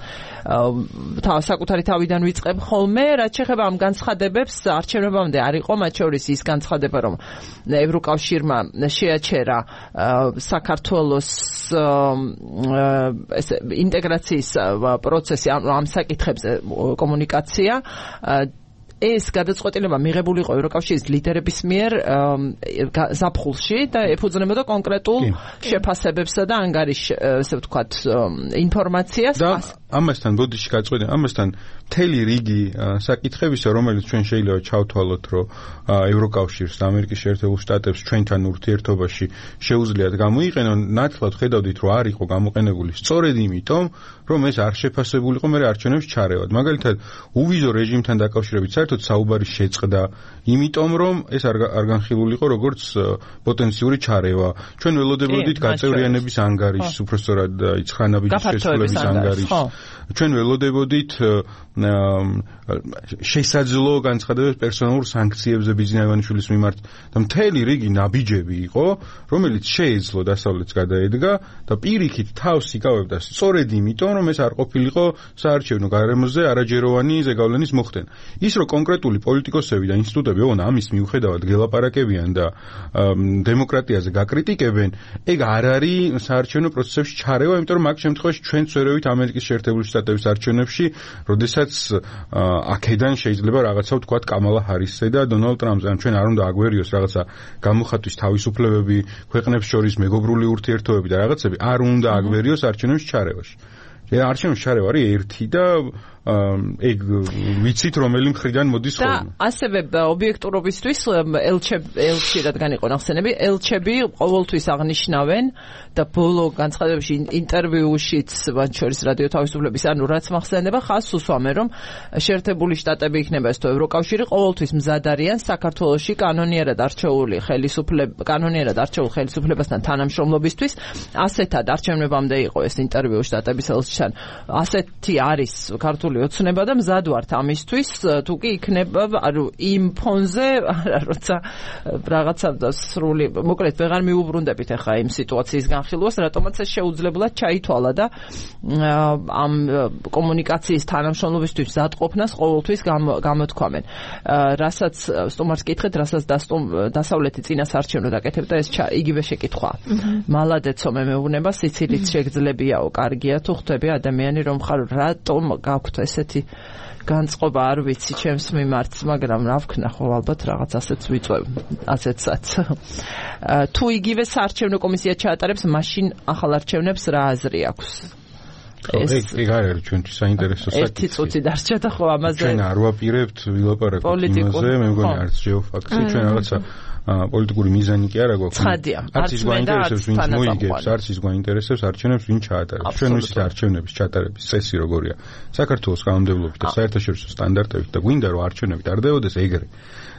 საკუთარი თავიდან ვიწყებ ხოლმე, რაც შეეხება ამ განცხადებებს, არჩევნებამდე არ იყო, მათ შორის ის განცხადება, რომ ევროკავშირმა შეაჩერა საქართველოს ინტეგრაციის პროცესი ამ საკითხებზე კომუნიკაცია. ეს გადაწყვეტილება მიღებული იყო ევროკავშირის ლიდერების მიერ ზაფხულში და ეფუძნებოდა კონკრეტულ შეფასებებსა და ანგარიშ, ესე ვთქვათ, ინფორმაციას. და ამასთან ბოდიში გაწყვეტა, ამასთან მთელი რიგი საკითხებისა, რომელიც ჩვენ შეიძლება ჩავთვალოთ, რომ ევროკავშირს და ამერიკის შეერთებულ შტატებს ჩვენთან ურთიერთობაში შეუძლიათ გამოიყენონ, ნათლად ხედავდით, რომ არ იყო გამოყენებული სწორედ იმიტომ, რომ ეს არ შეფასებულიყო მე არჩევნებში ჩარევად. მაგალითად, უვიზო რეჟიმთან დაკავშირებით საერთოდ საუბარი შეწყდა, იმიტომ რომ ეს არ განხილულიყო როგორც პოტენციური ჩარევა. ჩვენ ველოდებოდით გაწევრიანების ანგარიშს, უბრალოდ იცხრანაბიჯის შესრულების ანგარიშს. ჩვენ ველოდებოდით შესაძლო განცხადებებს პერსონალურ სანქციებზე ბიზნეს ივანიშვილის მიმართ და მთელი რიგი ნაბიჯები იყო, რომელიც შეეძლო დასავლეთს გადაედგა და პირიქით თავს იკავებდა სწორედ იმიტომ, რომ ეს არ ყოფილიყო საარჩევნო გარემოზე არაჯეროვანი ზეგავლენის მოხდენა. ის რომ კონკრეტული პოლიტიკოსები და ინსტიტუტები ამის მიუხედავად გელაპარაკებიან და დემოკრატიაზე გაკრიტიკებენ, ეგ არ არის საარჩევნო პროცესებში ჩარევა, იმიტომ რომ მაგ შემთხვევაში ჩვენც ვერავით ამერიკის შეერთებული შტატების არჩევნებში, როდესაც აქედან შეიძლება რაღაცა ვთქვათ კამალა ჰარისზე და დონალდ ტრამპზე, ან ჩვენ არ უნდა აგვერიოს რაღაცა გამოხატვის თავისუფლებები, ქვეყნებს შორის მეგობრული ურთიერთობები და რაღაცები არ უნდა აგვერიოს არჩევნების ჩარევაში. არჩევნების ჩარევა არის ერთი და ეგ ვიცით რომელი მხრიდან მოდის ხოლმე. და ასევე ობიექტურობისთვის ელჩი რადგან იყო ნახსენები, ელჩები ყოველთვის აღნიშნავენ და ბოლო განცხადებებში ინტერვიუშიც მათ შორის რადიო თავისუფლების, ანუ რაც მახსენდება, ხაზს უსვამენ, რომ შეერთებული შტატები იქნება ეს თუ ევროკავშირი ყოველთვის მზად არიან საქართველოში კანონიერად არჩეულ ხელისუფლებასთან თანამშრომლობისთვის. ასეთად არჩევნებამდე იყო ეს ინტერვიუ შტატების ელჩთან. ასეთი არის ქართული ოცნება და მზად ვართ ამისთვის, თუ კი იქნება, ანუ იმ ფონზე, როცა რაღაცა სრული, მოკლედ ვეღარ მიუბრუნდებით ახლა იმ სიტუაციის განხილვას, რატომაც ეს შეუძლებლად ჩაითვალა და ამ კომუნიკაციის თანამშრომლობისთვის მზადყოფნას ყოველთვის გამოთქვამენ. რასაც სტუმარს კითხეთ, რასაც დასავლეთი წინასაარჩევნო დაკეთებდა, ეს იგივე შეკითხვა. მალადეცო მე მეუბნება, სიცილით შეგძლებიაო, კარგია თუ ხვდები ადამიანი რომ ხარ, რატომ გაქვთ ესეთი განწყობა, არ ვიცი ჩემს მიმართ, მაგრამ რა ვქნა, ხო ალბათ რაღაც ასეც ვიწევ, ასეცაც. თუ იგივე საარჩევნო კომისია ჩაატარებს, მაშინ ახალ არჩევნებს რა აზრი აქვს? ეგ არის ჩვენთვის საინტერესო საკითხი. ერთი წუთი დარჩა და ხო ამაზე ჩვენ არ ვაპირებთ ვილაპარაკოთ იმაზე, მე მგონი არც ჯეოფაქსი, ჩვენ რაღაცა პოლიტიკური მიზანი კი არა გვაქვს. ცხადია. არც ის გვაინტერესებს, ვინც მოიგებს, არც ის გვაინტერესებს არჩევნებს, ვინ ჩაატარებს. ჩვენ ვიცით არჩევნების ჩატარების წესი როგორია. საქართველოს კანონმდებლობით და საერთაშორისო სტანდარტებით და გვინდა რომ არჩევნები ტარდებოდეს ეგრე.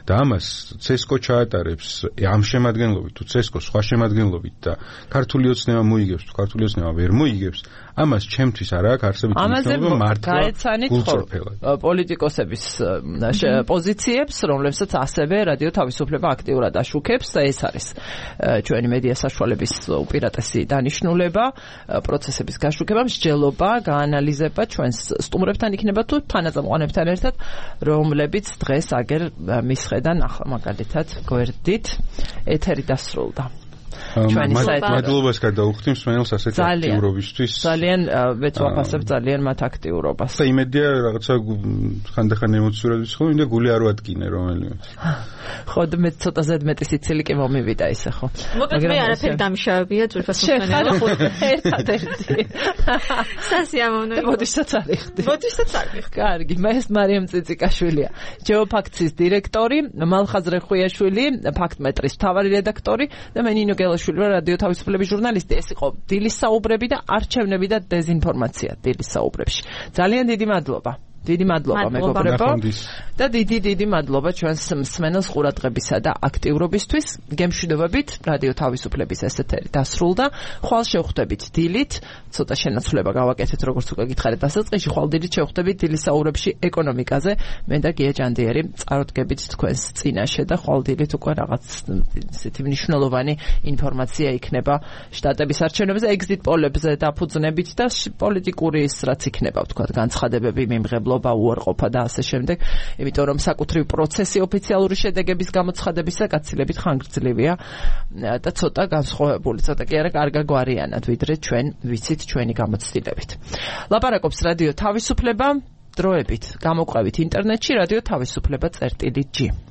და ამას CESCO ჩაატარებს ამ შემადგენლობით თუ CESCO სხვა შემადგენლობით და ქართული ოცნება მოიგებს თუ ქართული ოცნება ვერ მოიგებს, ამას ჩემთვის არ აქვს არსებითი მნიშვნელობა მართლა გულწრფელად. პოლიტიკოსების პოზიციებს, რომლებსაც ასევე რადიო თავისუფლება აქტიურად აშუქებს და ეს არის ჩვენი მედია საშუალების უპირატესი დანიშნულება, პროცესების გაშუქება, მსჯელობა, გაანალიზება ჩვენს სტუმრებთან იქნება თუ თანაწამყვანებთან ერთად, რომლებიც დღეს აგერ მის ხედან ახლა მაგალითად გვერდით ეთერი დასრულდა. მადლობას გადაუხდით მსმენელს ასეთი აქტიურობისთვის. ძალიან მეც ვაფასებ ძალიან მათ აქტიურობას. და იმედია რაღაცა ხანდახან ემოციურად ვიცხოვ და გული არ ვადგინე რომელიმე. ხო და მე ცოტა ზედმეტი სიცილი კი მომივიდა ისე ხო. მაგრამ მე არაფერი დამშავებია ძვირფას მსმენელო. ერთადერთი. სასიამოვნოა. მოდისაც არიხდი. მოდისაც არიხდი. კარგი, მე ეს მარიამ წიწიკაშვილია. ჯეოფაქციის დირექტორი, მალხაზრე ხვიაშვილი, ფაქტმეტრის მთავარი რედაქტორი და მე ნინო გელაშვილი რადიო თავისუფლების ჟურნალისტი. ეს იყო დილის საუბრები და არჩევნები და დეზინფორმაცია დილის საუბრებში. ძალიან დიდი მადლობა. დიდი მადლობა მეგობრებო და დიდი მადლობა ჩვენს მსმენელს ყურადღებისა და აქტიურობისთვის. გემშვიდობებით რადიო თავისუფლების ეს ეთერი დასრულდა. ხვალ შევხვდებით დილით, ცოტა შენაცვლება გავაკეთეთ როგორც უკვე გითხარით დასაწყისში, ხვალ დილით შევხვდებით დილის საუბრებში ეკონომიკაზე. მე და გია ჯანდიერი წარდგებით თქვენს წინაშე და ხვალ დილით უკვე რაღაც ისეთი მნიშვნელოვანი ინფორმაცია იქნება შტატების არჩევნებზე, exit poll-ებზე დაფუძნებით და პოლიტიკური ის რაც იქნება ვთქვათ განცხადებები მიმღებლობა უარყოფა და ასე შემდეგ, იმიტომ რომ საკუთრივ პროცესი ოფიციალური შედეგების გამოცხადებისა გაცილებით ხანგრძლივია და ცოტა განსხვავებული, ცოტა კი არა კარგაგვარიანად, ვიდრე ჩვენ ვიცით ჩვენი გამოცდილებით. ლაპარაკობს რადიო თავისუფლება, დროებით გამოყვებით ინტერნეტში რადიო თავისუფლება.g